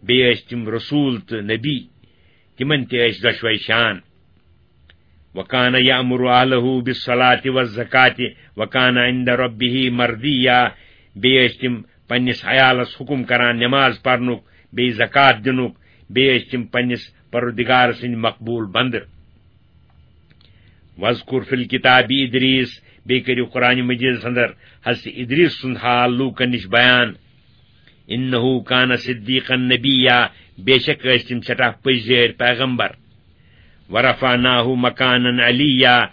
بیٚیہِ ٲسۍ تِم رسول تہٕ نبی، تِمن تہِ ٲسۍ دۄشوے شان۔ وَكَانَ يَأْمُرُ أَهْلَهُ بِالصَّلَاةِ وَالزَّكَاةِ وَكَانَ عِندَ رَبِّهِ مَرْضِيًّا، بیٚیہِ ٲسۍ تِم پننِس عیالس حُکُم کران نماز پرنُک، بیٚیہِ زکوٰۃ دِنُک، بیٚیہِ ٲسۍ تِم پننِس پروردگار سٕنٛدۍ مقبوٗل بندٕ۔ وَاذْكُرْ فِي الْكِتَابِ إِدْرِيسَ، بیٚیہِ کٔرِو قرآن مجیدس اندر حضرت ادریس سُنٛد حال لوٗکن نِش بیان۔ اِنَّهُ كَانَ صِدِّيقًا نَبِيًّا، بے شک ٲسۍ تِم سٮ۪ٹھاہ پٔزۍ جٲرۍ پیغمبر۔ وَرَفَعْنَاهُ مَكَانًا عَلِيًّا،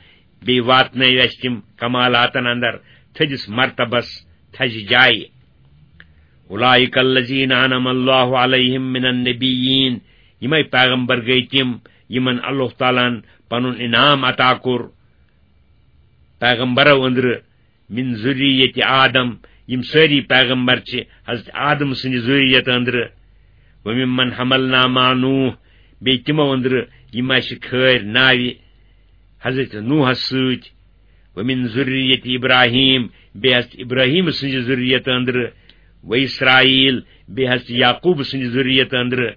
بیٚیہِ واتنٲوۍ اَسہِ تِم کمالاتن اندر تھٔدِس مرتبس، تھزِ جایہِ۔ أُولَٰئِكَ الَّذِينَ أَنْعَمَ اللَّهُ عَلَيْهِمْ مِنَ النَّبِيِّينَ، یِمے پیغمبر گٔے تِم یِمن اللہ تعالیٰ ہن پنُن انعام عطا کوٚر پیغمبرو أنٛدرٕ، مِن ذُرِّيَّةِ آدَم، یِم سٲری پیغمبر چھِ حضرت آدم سٕنٛدِ ذُرِّیَت أنٛدرٕ، وَمِمَّنْ حَمَلْنَا مَعَ نُوحٍ، بیٚیہِ تِمو أنٛدرٕ یِم اَسہِ کھٲرۍ ناوِ حضرت نوحس سۭتۍ، وَمِن ذُرِّيَّةِ إِبْرَاهِيمَ، بیٚیہِ حضرت ابراہیم سٕنٛزِ ذُرِّیَت أنٛدرٕ، وَإِسْرَائِيلَ، بیٚیہِ حضرت یعقوب سٕنٛزِ ذُرِّیَت أنٛدرٕ،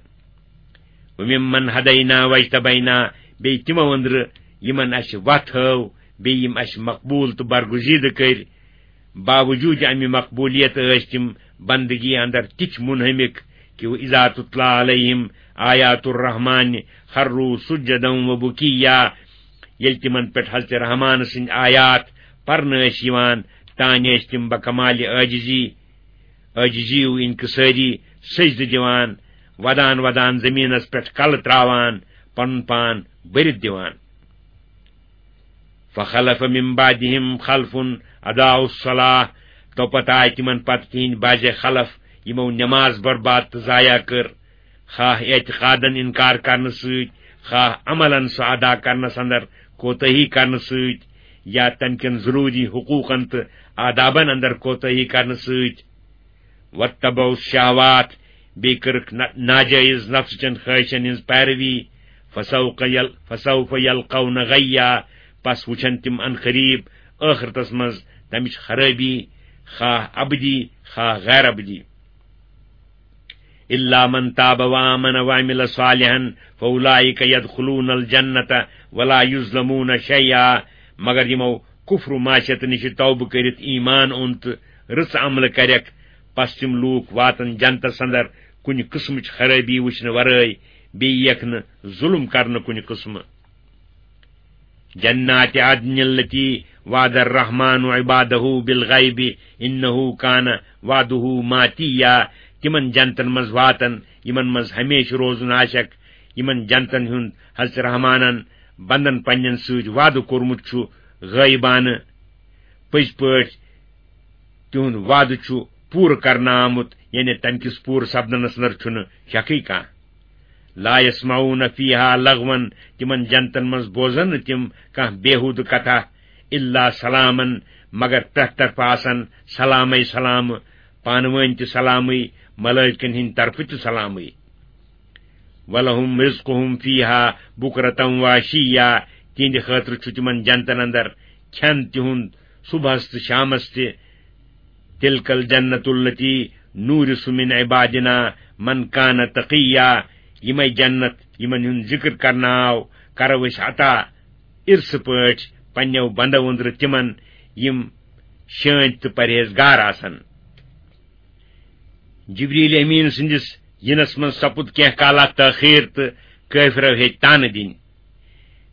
وَمِمَّنْ هَدَيْنَا وَاجْتَبَيْنَا، بیٚیہِ تِمو أنٛدرٕ یِمن اَسہِ وَتھ ہٲو، بیٚیہِ یِم اَسہِ مقبوٗل تہٕ برگزیدٕ کٔرۍ۔ باوجوٗد اَمہِ مقبوٗلیت ٲسۍ تِم بندگی اندر تِتھۍ منہمک کہ وَإِذَا تُتْلَىٰ عَلَيْهِمْ آيَاتُ الرَّحْمَٰنِ خَرُّوا سُجَّدًا وَبُكِيًّا۔ ییٚلہِ تِمن پٮ۪ٹھ حضرت رحمان سٕنٛدۍ آیات پرنہٕ ٲسۍ یِوان، تانۍ ٲسۍ تِم بکمال عٲجزی، عٲجزی و انکسٲری سجدٕ دِوان، ودان ودان زمینس پٮ۪ٹھ کلہٕ تراوان، پنُن پان بٔرِتھ دِوان۔ فَخَلَفَ مِن بَعْدِهِمْ خَلْفٌ أَضَاعُوا الصَّلَاةَ، تو پتہٕ آے تِمن پتہٕ تِہنٛدۍ بعضے خلف، یِمو نماز برباد تہٕ ضایع کٔر، خواہ اعتقادن انکار کرنہٕ سۭتۍ، خواہ عملن سُہ ادا کرنس اندر کوتاہی کرنہٕ سۭتۍ، یا تمہِ کٮ۪ن ضروٗری حقوٗقن تہٕ آدابن اندر کوتاہی کرنہٕ سۭتۍ۔ وَاتَّبَعُوا الشَّهَوَاتِ، بیٚیہِ کٔرٕکھ نا-، ناجٲیز نفسہٕ چٮ۪ن خٲہِشن ہٕنٛز پیروی۔ فَسَوْفَ يَلْ-، فَسَوْفَ يَلْقَوْنَ غَيًّا، پس وٕچھن تِم عن قریب ٲخرتس منٛز تمِچ خرٲبی، خواہ ابدی، خواہ غیر ابدی۔ إِلَّا مَن تَابَ وَآمَنَ وَعَمِلَ صَالِحًا فَأُولَٰئِكَ يَدْخُلُونَ الْجَنَّةَ وَلَا يُظْلَمُونَ شَيْئًا، مگر یِمو کفر و معصیت نِش توبہٕ کٔرِتھ ایمان اوٚن تہٕ رٕژ عملہٕ کرٮ۪کھ، پس تِم لوٗکھ واتن جنتس اندر کُنہِ قٕسمٕچ خرٲبی وٕچھنہٕ ورٲے، بیٚیہِ یِیَکھ نہٕ ظُلم کرنہٕ کُنہِ قٕسمہٕ۔ جَنَّاتِ عَدْنٍ الَّتِي وَعَدَ الرَّحْمَٰنُ عِبَادَهُ بِالْغَيْبِ إِنَّهُ كَانَ وَعْدُهُ مَأْتِيًّا، تِمن جنتن منٛز واتن یِمن منٛز ہمیشہٕ روزُن آسٮ۪کھ، یِمن جنتن ہُنٛد حضرت رحمانن بندن پننٮ۪ن سۭتۍ وعدٕ کوٚرمُت چھُ غٲیبانہٕ۔ پٔزۍ پٲٹھۍ تِہُنٛد وعدٕ چھُ پوٗرٕ کرنہٕ آمُت، یعنی تَمہِ کِس پوٗرٕ سپدنس اندر چھُنہٕ شکٕے کانٛہہ۔ لَا يَسْمَعُونَ فِيهَا لَغْوًا، تِمن جنتن منٛز بوزن نہٕ تِم کانٛہہ بیہودٕ کتھا، إِلَّا سَلَامًا، مگر پرٛٮ۪تھ طرفہٕ آسن سلامے سلامہٕ، پانہٕ وٲنۍ تہِ سلامٕے، ملٲیکن ہٕنٛدِ طرفہٕ تہِ سلامٕے۔ وَلَهُمْ رِزْقُهُمْ فِيهَا بُكْرَةً وَعَشِيًّا، تِہنٛدِ خٲطرٕ چھُ تِمن جنتن اندر کھٮ۪ن تِہُنٛد صبحس تہٕ شامس تہِ۔ تِلْکَ الْجَنَّةُ الَّتِي نُورِثُ مِنْ عِبَادِنَا مَنْ كَانَ تَقِيًّا، یِمے جنت یِمن ہُنٛد ذِکر کرنہٕ آو، کرو أسۍ عطا اِرثہٕ پٲٹھۍ پننٮ۪و بندو أنٛدرٕ تِمن، یِم شٲنٛتۍ تہٕ پرہیزگار آسن۔ جبریل امین سٕنٛدِس یِنس منٛز سپُد کینٛہہ کالا تٲخیر تہٕ کٲفرو ہیٚتۍ طعنہٕ دِنۍ۔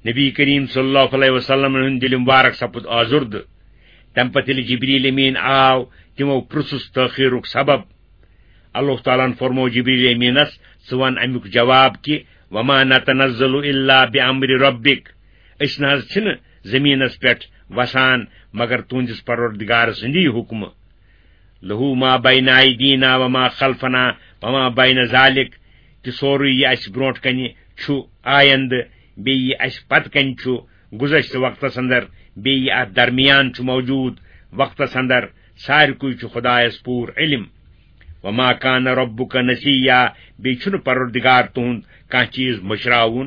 نبی کریم صلی اللہ علیہ وسلم ہُنٛد دِل مبارک سپُد آزُردٕ۔ تمہِ پتہٕ ییٚلہِ جبریل امین آو، تِمو پرُژھُس تٲخیرُک سبب۔ اللہ تعالیٰ ہن فرموو جبریل امینس، "ژٕ ون امیُک جواب کہِ، وما نتنزل الا بامر ربک، أسۍ نہ حظ چھِنہٕ زٔمیٖنس پٮ۪ٹھ وسان مگر تُہنٛدِس پروردگار سٕنٛدی حُکمہٕ۔ لہو ما بین ایدینا وما خلفنا وما بین ذالک، تہِ سورُے یہِ اسہِ برونٛٹھ کنہِ چھُ آیندٕ، بیٚیہِ یہِ اسہِ پتہٕ کنہِ چھُ گُذشتہٕ وقتس اندر، بیٚیہِ یہِ اتھ درمیان چھُ موجود وقتس اندر، سارِکُے چھُ خدایس پوٗرٕ علم۔ وما کان ربک نسیا، بیٚیہِ چھُنہٕ پروردگار تُہُنٛد کانٛہہ چیٖز مٔشراوُن۔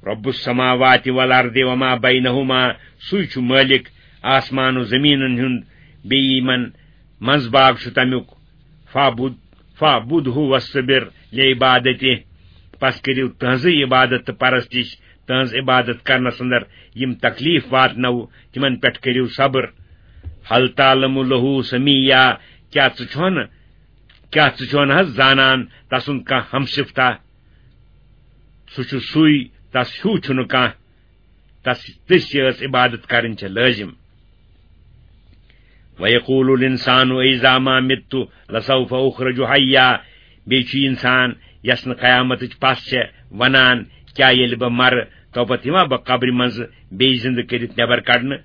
رب السماوات والارض وما بینہما، سُے چھُ مٲلِک آسمان و زٔمیٖنن ہُنٛد، بیٚیہِ یِمن منٛز باگ چھُ تمیُک۔ فاعبد، فاعبدہ واصطبر لعبادتہ، پس کٔرِو تہنٛزٕے عبادت تہٕ پرستش، تہنٛز عبادت کرنس اندر یِم تکلیف واتنو، تِمن پٮ۪ٹھ کٔرِو صبر۔ حل تعلم لہ سمیا، کیٛاہ ژٕ چھُکھ نہٕ، کیٛاہ ژٕ چھُکھ نہٕ حظ زانان تسُنٛد کانٛہہ ہمشفتہ؟ سُہ چھُ سُے، تس ہیوٗ چھُنہٕ کانٛہہ۔ تس، تٔژ ٲس عبادت کرٕنۍ چھےٚ لٲزم۔ وَيَقُولُ الْإِنسَانُ أَإِذَا مَا مِتُّ لَسَوْفَ أُخْرَجُ حَيًّا۔ بیٚیہِ چھُ اِنسان، یَس نہٕ قیامتٕچ پَژھ چھےٚ، وَنان، کیٛاہ ییٚلہِ بہٕ مَرٕ، توپَتہٕ یِما بہٕ قبرِ منٛزٕ بیٚیہِ زِنٛدٕ کٔرِتھ نٮ۪بر کڑنہٕ؟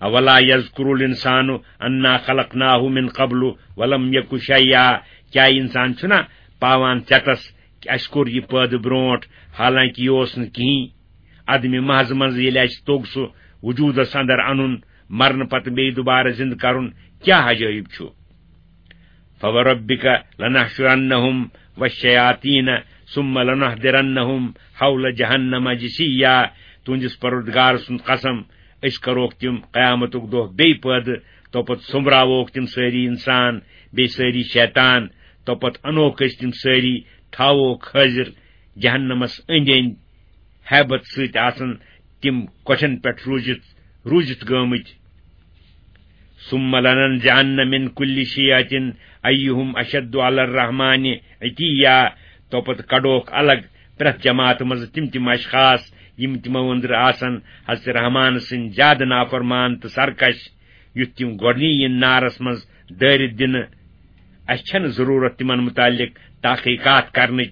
أَوَلَا يَذْكُرُ الْإِنسَانُ أَنَّا خَلَقْنَاهُ مِنْ قَبْلُ وَلَمْ يَكُ شَيْئًا۔ کیٛاہ اِنسان چھُنا پاوان ژٮ۪تَس کہِ اَسہِ کوٚر یہِ پٲدٕ برونٛٹھ، حالانکہِ یہِ اوس نہٕ کِہیٖنۍ؟ عدمِ محض منٛز ییٚلہِ اَسہِ توٚگ سُہ وجوٗدس اندر اَنُن، مرنہٕ پتہٕ بیٚیہِ دُبارٕ زِندٕ کرُن، کیٛاہ عجٲیب چھُ؟ فَوَرَبِّكَ لَنَحْشُرَنَّهُمْ وَالشَّيَاطِينَ ثُمَّ لَنُحْضِرَنَّهُمْ حَوْلَ جَهَنَّمَ جِثِيًّا۔ تُہنٛدِس پروردگار سُنٛد قسم، أسۍ کروکھ تِم قیامتُک دۄہ بیٚیہِ پٲدٕ، توپتہٕ سوٚمبراووکھ تِم سٲری اِنسان، بیٚیہِ سٲری شیطان، توپتہٕ اَنوکھ أسۍ تِم سٲری، تھاووکھ حٲضِر جہنمس أنٛدۍ أنٛدۍ۔ ہیبت سۭتۍ آسن تِم کۄٹھٮ۪ن پٮ۪ٹھ روٗزِتھ، روٗزِتھ گٲمٕتۍ۔ ثُمَّ لَنَنزِعَنَّ مِنْ كُلِّ شِيعَةٍ أَيُّهُمْ أَشَدُّ عَلَى الرَّحْمَٰنِ عِتِيًّا۔ توپتہٕ کڑوکھ الگ پرٛٮ۪تھ جماعتہٕ منٛزٕ تِم تِم اشخاص، یِم تِمو أنٛدرٕ آسن حضرت رحمان سٕنٛدۍ زیادٕ نافرمان تہٕ سرکش، یُتھ تِم گۄڈٕنی یِن نارس منٛز دٲرِتھ دِنہٕ۔ اَسہِ چھَنہٕ ضروٗرت تِمن مُتعلِق تحقیقات کرنٕچ۔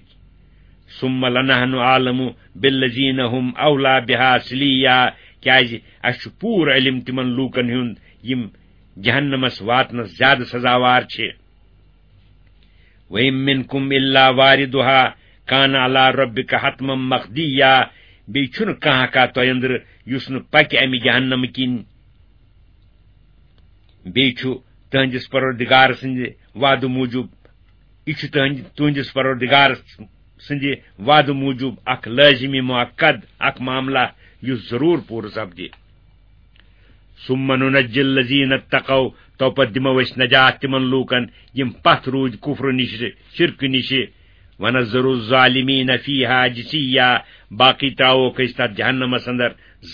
ثُمَّ لَنَحْنُ أَعْلَمُ بِالَّذِينَ هُمْ أَوْلَىٰ بِهَا صِلِيًّا۔ کیازِ اَسہِ چھُ پوٗرٕ علم تِمن لوٗکن ہُنٛد، یِم جہنمس واتنس زیادٕ سزاوار چھِ۔ وَإِن مِّنْكُمْ إِلَّا وَارِدُهَا كَانَ عَلَىٰ رَبِّكَ حَتْمًا مَّقْضِيًّا۔ بیٚیہِ چھُنہٕ کانٛہہ کانٛہہ تۄہہِ أنٛدرٕ یُس نہٕ پکہِ اَمہِ جہنمہٕ کِنۍ۔ بیٚیہِ چھُ تُہنٛدِس پروردگار سٕنٛدِ وعدٕ موٗجوٗب، یہِ چھُ تُہنٛدِ، تُہنٛدِس پروردگار سٕنٛدِ وعدٕ موٗجوٗب اکھ لٲزمی مؤکد، اکھ معاملہ یُس ضروٗر پوٗرٕ سپدِ۔ ثُمَّ نُنَجِّي الَّذِينَ اتَّقَوْا، توپتہٕ دِمو أسۍ نجات تِمن لوٗکن، یِم پتھ روٗدۍ کُفرٕ نِشہِ، شرکہٕ نِشہِ۔ وَنَذَرُ الظَّالِمِينَ فِيهَا جِثِيًّا، باقٕے ترٛاووکھ أسۍ تَتھ جہنمس اندر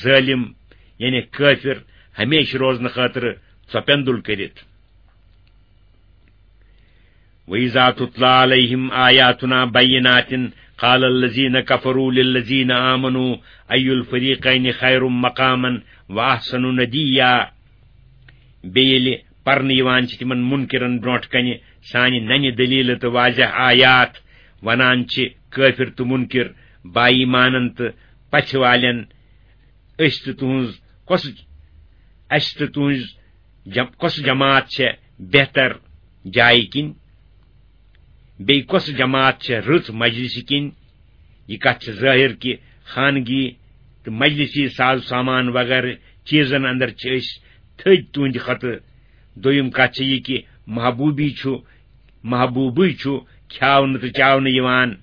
ظٲلِم، یعنی کٲفِر، ہمیشہٕ روزنہٕ خٲطرٕ ژۄپیندُل کٔرِتھ۔ وَإِذَا تُتْلَىٰ عَلَيْهِمْ آيَاتُنَا بَيِّنَاتٍ قَالَ الَّذِينَ كَفَرُوا لِلَّذِينَ آمَنُوا أَيُّ الْفَرِيقَيْنِ خَيْرٌ مَّقَامًا وَأَحْسَنُ نَدِيًّا۔ بیٚیہِ ییٚلہِ پرنہٕ یِوان چھِ تِمن مُنکِرن برونٛٹھ کنہِ سانہِ ننہِ دٔلیٖلہٕ تہٕ واضح آیات، ونان چھِ کٲفِر تہٕ مُنکِر، با ایمانن تہٕ پژھِ والٮ۪ن، أسۍ تہٕ تُہٕنٛز کۄس، اَسہِ تہٕ تُہٕنٛز جم-، کۄس جماعت چھےٚ بہتر جایہِ کِنۍ؟ بیٚیہِ کۄس جماعت چھےٚ رٕژ مجلسہِ کِنۍ؟ یہِ کتھ چھِ ظٲہِر کہِ خانگی تہٕ مجلسی ساز و سامان وغٲرٕ چیٖزن اندر چھِ أسۍ تھٔدۍ تُہٕنٛدِ کھۄتہٕ۔ دوٚیِم کتھ چھےٚ یہِ کہِ محبوٗبی چھُ، محبوٗبٕے چھُ کھیاونہٕ تہٕ چاونہٕ یِوان۔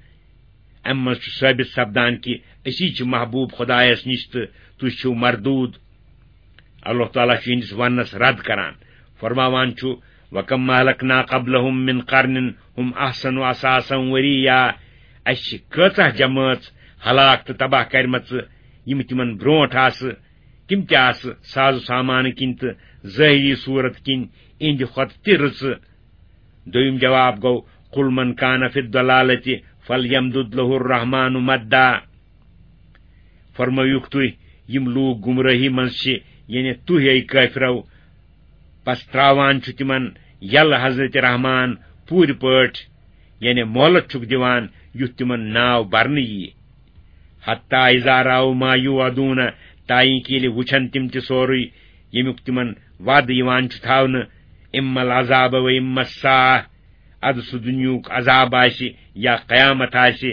اَمہِ منٛز چھُ ثٲبت سپدان کہِ أسی چھِ محبوٗب خۄدایَس نِش تہٕ تُہۍ چھِو مردوٗد۔ اللہ تعالیٰ چھُ یِہنٛدِس وننس رد کران، فرماوان چھُ، وَكَمْ أَهْلَكْنَا قَبْلَهُمْ مِنْ قَرْنٍ هُمْ أَحْسَنُ أَثْاثًا وَرِئْيًا۔ اَسہِ چھِ کۭژاہ جمٲژ ہلاک تہٕ تباہ کرِمژٕ، یِم تِمن برونٛٹھ آسہٕ، تِم تہِ آسہٕ ساز و سامانہٕ کِنۍ تہٕ ظٲہری صوٗرت کِنۍ اِہنٛدِ کھۄتہٕ تہِ رٕژٕ۔ دوٚیِم جواب گوٚو، قُلْ مَنْ كَانَ فِي الضَّلَالَةِ فَلْيَمْدُدْ لَهُ الرَّحْمَٰنُ مَدًّا۔ فرمٲیِوکھ تُہۍ، یِم لوٗکھ گمرٲہی منٛز چھِ، یعنی تُہۍ اے کٲفرو، پس تراوان چھُ تِمن یلہٕ حضرت رحمان پوٗرٕ پٲٹھۍ، یعنی مۄہلت چھُکھ دِوان یُتھ تِمن ناو برنہٕ یِیہِ۔ حتیٰ اذا رأوا ما یوعدون، تائیں کہ ییٚلہِ وٕچھن تِم تہِ سورُے ییٚمیُک تِمن وعدٕ یِوان چھُ تھاونہٕ، اما العذاب و اما الساعة، ادٕ سُہ دُنیاہُک عذاب آسہِ یا قیامت آسہِ۔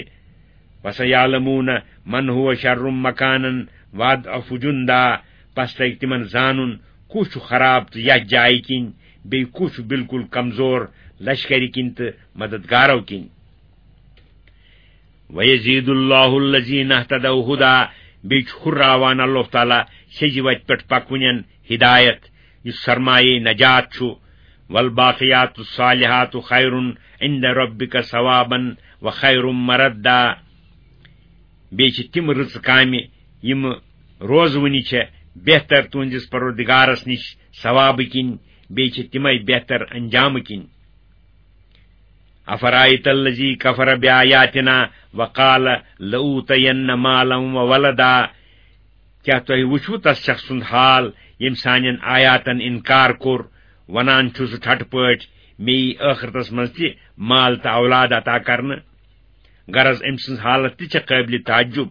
وسیعلمون من هو شر مکانا واضعف جندا، پس لگہِ تِمن زانُن کُس چھُ خراب تہٕ یتھ جایہِ کِنۍ، بیٚیہِ کُس چھُ بالکل کمزور لشکرِ کِنۍ تہٕ مددگارو کِنۍ۔ وَيَزِيدُ اللَّهُ الَّذِينَ اهْتَدَوْا هُدًى، بیٚیہِ چھُ ہُراوان اللہ تعالیٰ سیٚزِ وَتہِ پٮ۪ٹھ پَکوٕنٮ۪ن ہدایت، یُس سرمایہ نجات چھُ۔ وَالْبَاقِيَاتُ الصَّالِحَاتُ خَيْرٌ عِندَ رَبِّكَ ثَوَابًا وَخَيْرٌ مَّرَدًّا۔ بیٚیہِ چھِ تِم رٕژٕ کامہِ، یِم روزوٕنہِ چھےٚ بہتر تُہنٛدِس پروردگارس نِش ثوابہٕ کِنۍ، بیٚیہِ چھِ تِمے بہتر انجامہٕ کِنۍ۔ أَفَرَأَيْتَ الَّذِي كَفَرَ بِآيَاتِنَا وَقَالَ لَأُوتَيَنَّ مَالًا وَوَلَدًا۔ کیٛاہ تۄہہِ وُچھوٕ تس شخص سُنٛد حال، ییٚمۍ سانٮ۪ن آیاتن انکار کوٚر، ونان چھُ سُہ ٹھٹہٕ پٲٹھۍ، مےٚ یی ٲخرتس منٛز تہِ مال تہٕ اولاد عطا کرنہٕ؟ غرض، أمۍ سٕنٛز حالت تہِ چھےٚ قٲبلِ تعجب۔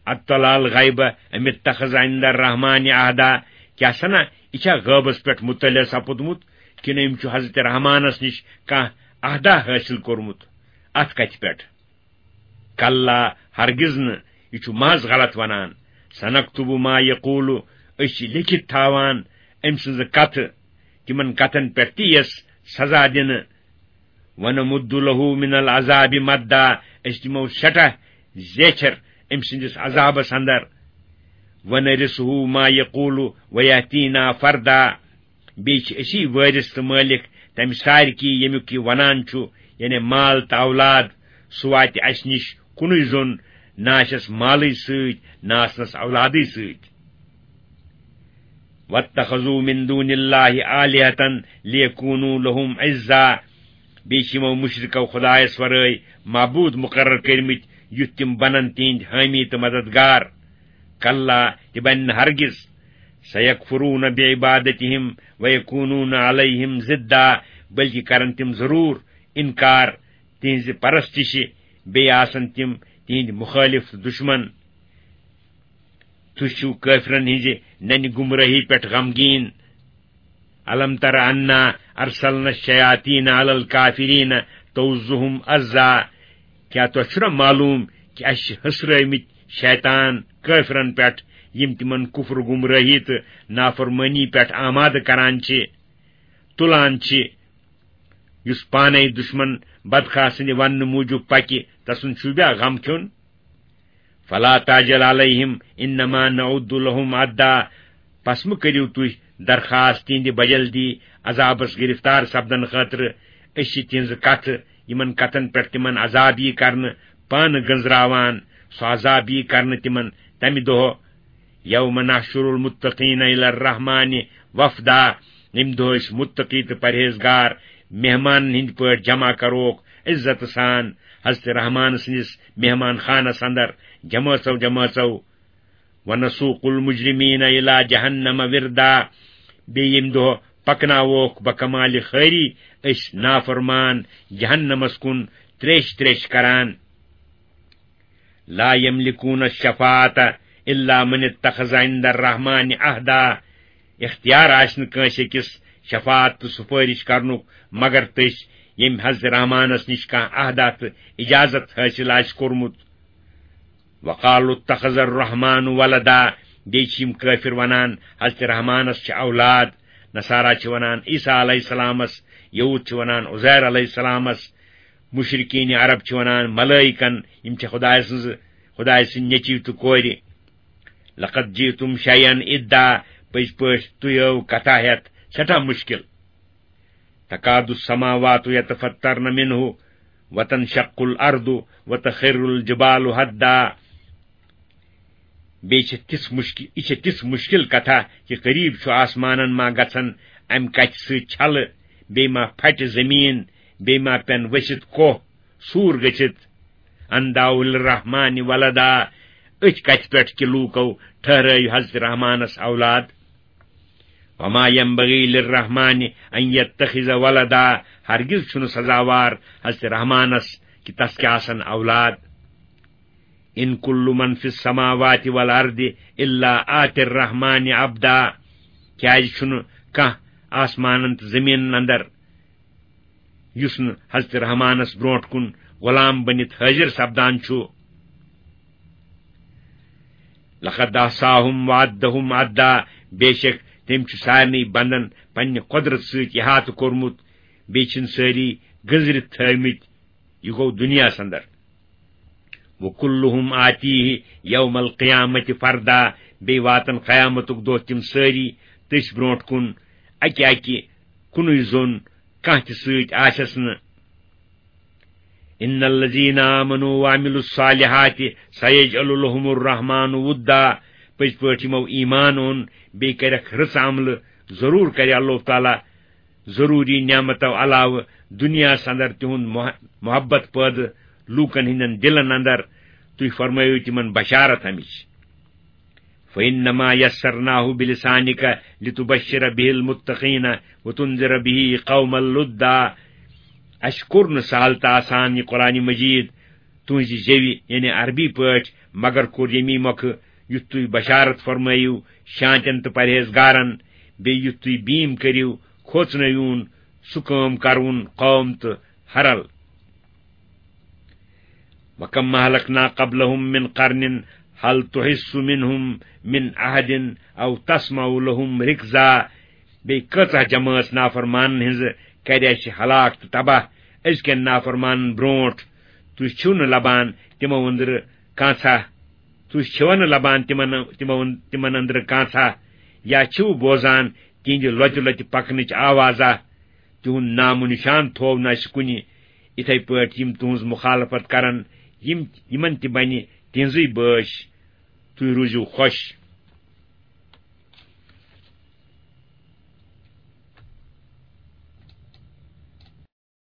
اطلع الغیب ام اتخذ عند الرحمن عہدا، کیٛاہ سنا، یہِ چھا غٲبس پٮ۪ٹھ مطلع سپُدمُت، کِنہٕ أمۍ چھُ حضرت رحمانس نِش کانٛہہ عہدا حٲصِل کوٚرمُت؟ اتھ کتھِ پٮ۪ٹھ؟ کلا، ہرگز نہٕ، یہِ چھُ محض غلط ونان۔ سنکتب ما یقول، أسۍ چھِ لیکھِتھ تھاوان أمۍ سٕنٛزٕ کتھٕ، تِمن کتھن پٮ۪ٹھ تہِ یِیَس سزا دِنہٕ۔ ونمد له من العذاب مدا، أسۍ دِمو سٮ۪ٹھاہ زیچھر أمۍ سٕنٛدِس عذابس اندر۔ ونرثه ما یقول ویاتینا فردا، بیٚیہِ چھِ أسی وٲرِث تہٕ مٲلِک تَمہِ سارِکی، ییٚمیُک یہِ وَنان چھُ، یعنی مال تہٕ اولاد، سُہ واتہِ اَسہِ نِش کُنُے زوٚن، نہ آسٮ۪س مالٕے سۭتۍ، نہ آسنَس اولادٕے سۭتۍ۔ واتخذوا من دون اللہ آلہة لیکونوا لہم عزا، بیٚیہِ چھِ یِمو مُشرِکو خۄدایَس وَرٲے معبوٗد مُقرر کٔرمٕتۍ، یُتھ تِم بَنَن تِہِنٛدۍ حٲمی تہٕ مددگار۔ کلا، تہِ بَنہِ نہٕ ہرگز۔ سیکفرون بعبادتہم ویکونون علیہم ضدا، بلکہ کرن تِم ضرور انکار تِہنزِ پرستشہِ، بیٚیہِ آسن تِم تِہندۍ مخٲلف تہٕ دشمن۔ تُہۍ چھِو کٲفرن ہٕنزِ ننہِ گمراہی پٮ۪ٹھ غمگیٖن۔ الم تر انا ارسلنا الشیاطین علی الکافرین تؤزہم ازا، کیٛاہ تۄہہِ چھُنہ معلوم کہِ اَسہِ چھِ ہٕسرٲومٕتۍ شیطان کٲفرن پٮ۪ٹھ، یِم تِمن کفر، گمراہی تہٕ نافرمٲنی پٮ۪ٹھ آمادٕ کران چھِ، تُلان چھِ؟ یُس پانے دشمن بدخاہ سٕنٛدِ وننہٕ موٗجوٗب پکہِ، تسُنٛد چھُ بیا غم کھیوٚن؟ فلا تعجل علیہم انما نعد لہم عدا، پس مہٕ کٔرِو تُہۍ درخواست تِہنٛدِ بجلدی عذابس گرفتار سپدن خٲطرٕ۔ أسۍ چھِ تِہنٛزٕ کتھٕ، یِمن کتھن پٮ۪ٹھ تِمن عذاب یی کرنہٕ، پانہٕ گٔنزراوان۔ سُہ عذاب یی کرنہٕ تِمن تمہِ دۄہہ، یوم نحشر المتقین الی الرحمن وفدا، ییٚمہِ دۄہ أسۍ متقی تہٕ پرہیزگار مہمانن ہٕنٛدۍ پٲٹھۍ جمع کروکھ، عزت سان حضرت رحمان سٕنٛدِس مہمان خانس اندر جمٲژو جمٲژو۔ ونسوق المجرمین الی جہنم وردا، بیٚیہِ ییٚمہِ دۄہ پکناووکھ بکمالِ خٲری أسۍ نافرمان جہنمس کُن تریش تریش کران۔ لا یملکون الشفاعت الا من اتخذ عند الرحمن عہدا، اختیار آسہِ نہٕ کٲنٛسہِ أکِس شفاعت تہٕ سُفٲرِش کرنُک مگر تٔسۍ، ییٚمۍ حضرت رحمانس نِش کانٛہہ عہدہ تہٕ اجازت حٲصِل آسہِ کوٚرمُت۔ وقالوا اتخذ الرحمن ولدا، بیٚیہِ چھِ یِم کٲفِر وَنان، حضرت رحمانس چھِ اولاد۔ نصارا چھِ وَنان عیسیٰ علیہ السلامس، یہوٗد چھِ وَنان عزیر علیہ السلامس، مشرکین عرب چھِ وَنان ملائکن، یِم چھِ خدایہِ سٕنٛز، خدایہِ سٕنٛدۍ نیٚچِو تہٕ کورِ۔ لقد جئتم شیئا ادا، پٔزۍ پٲٹھۍ تُہۍ آو کتھا ہٮ۪تھ سٮ۪ٹھاہ مُشکِل۔ تکاد السماوات یتفطرن منہ وتنشق الارض وتخر الجبال ہدا۔ بیٚیہِ چھِ تِژھ مُشکِل، یہِ چھِ تِژھ مُشکِل کتھا کہِ قریب چھُ آسمانن ما گژھن امہِ کتھِ سۭتۍ چھلہٕ، بیٚیہِ ما پھٹہِ زٔمیٖن، بیٚیہِ ما پٮ۪ن ؤسِتھ کوہ، سوٗر گٔژھِتھ۔ ان دعوا للرحمن ولدا، أتھۍ کتھِ پٮ۪ٹھ کہِ لوٗکو ٹھہرٲوۍ حضرت رحمانس اولاد۔ وما ينبغي للرحمن ان يتخذ ولدا، ہرگز چھُنہٕ سزاوار حضرت رحمانس کہِ تس کیٛاہ آسن اولاد۔ ان كل من في السماوات والارض الا آتي الرحمن عبدا، کیٛازِ چھُنہٕ کانٛہہ آسمانن تہٕ زٔمیٖنن اندر یُس نہٕ حضرت رحمانس برونٛٹھ کُن غلام بٔنِتھ حٲضِر سپدان چھُ۔ لقد احصاهم وعدهم عدا، بے شک تٔمۍ چھُ سارنٕے بندن پننہِ قۄدرت سۭتۍ احاطہٕ کوٚرمُت، بیٚیہِ چھِن سٲری گٔنزرِتھ تھٲومٕتۍ۔ یہِ گوٚو دُنیاہس اندر۔ وکلهم آتیہ یوم القیامت فردا، بیٚیہِ واتن قیامتُک دۄہ تِم سٲری تٔسۍ برونٛٹھ کُن اکہِ اکہِ، کُنُے زوٚن، کانٛہہ تہِ سۭتۍ آسٮ۪س نہٕ۔ ان الذین آمنوا وعملوا الصالحات سیجعل لهم الرحمن ودا، پٔزۍ پٲٹھۍ یِمو ایمان اوٚن بیٚیہِ کَرٮ۪کھ رٕژ عملہٕ، ضروٗر کَرِ اللہ تعالیٰ ضروٗری نعمتو علاوٕ دُنیاہَس اندر تِہُنٛد مح-، محبت پٲدٕ لوٗکن ہٕنٛدٮ۪ن دِلن اندر۔ تُہۍ فرمٲیِو تِمن بشارت اَمِچ۔ فإنما يسرناه بلسانك لتبشر به المتقين وتنذر به قوما لدا۔ اَسہِ کوٚر نہٕ سہل تہٕ آسان یہِ قرآن مجید تُہٕنٛزِ زیوِ، یعنی عربی پٲٹھۍ، مگر کوٚر ییٚمی مۄکھٕ، یُتھ تُہۍ بشارت فرمٲیِو شانتٮ۪ن تہٕ پرہیزگارن، بیٚیہِ یُتھ تُہۍ بیٖم کٔرِو، کھوژنٲوِوُن سُہ کٲم کرٕوُن قوم تہٕ ہرل۔ وَكَمْ أَهْلَكْنَا قَبْلَهُمْ مِنْ قَرْنٍ هَلْ تُحِسُّ مِنْهُمْ مِنْ أَحَدٍ أَوْ تَسْمَعُ لَهُمْ رِكْزًا۔ بیٚیہِ کۭژاہ جمٲژ نافرمانن ہٕنٛز کرِ اَسہِ ہلاک تہٕ تباہ أزکٮ۪ن نافرمانن برونٹھ۔ تُہۍ چھِو نہٕ لبان تِمو أنٛدرٕ کانٛژھا، تُہۍ چھِو نہٕ لبان تِمن، تِمو، تِمن أنٛدرٕ کانٛژھا، یا چھِو بوزان تِہنٛدِ لۄتہِ لۄتہِ پکنٕچ آوازا؟ تِہُنٛد نام و نشان تھوو نہٕ اَسہِ کُنہِ۔ یِتھے پٲٹھۍ یِم تُہٕنٛز مخالفت کرن، یِم، یِمن تہِ بنہِ تِہنٛزٕے بٲسۍ۔ تُہۍ روٗزِو خۄش۔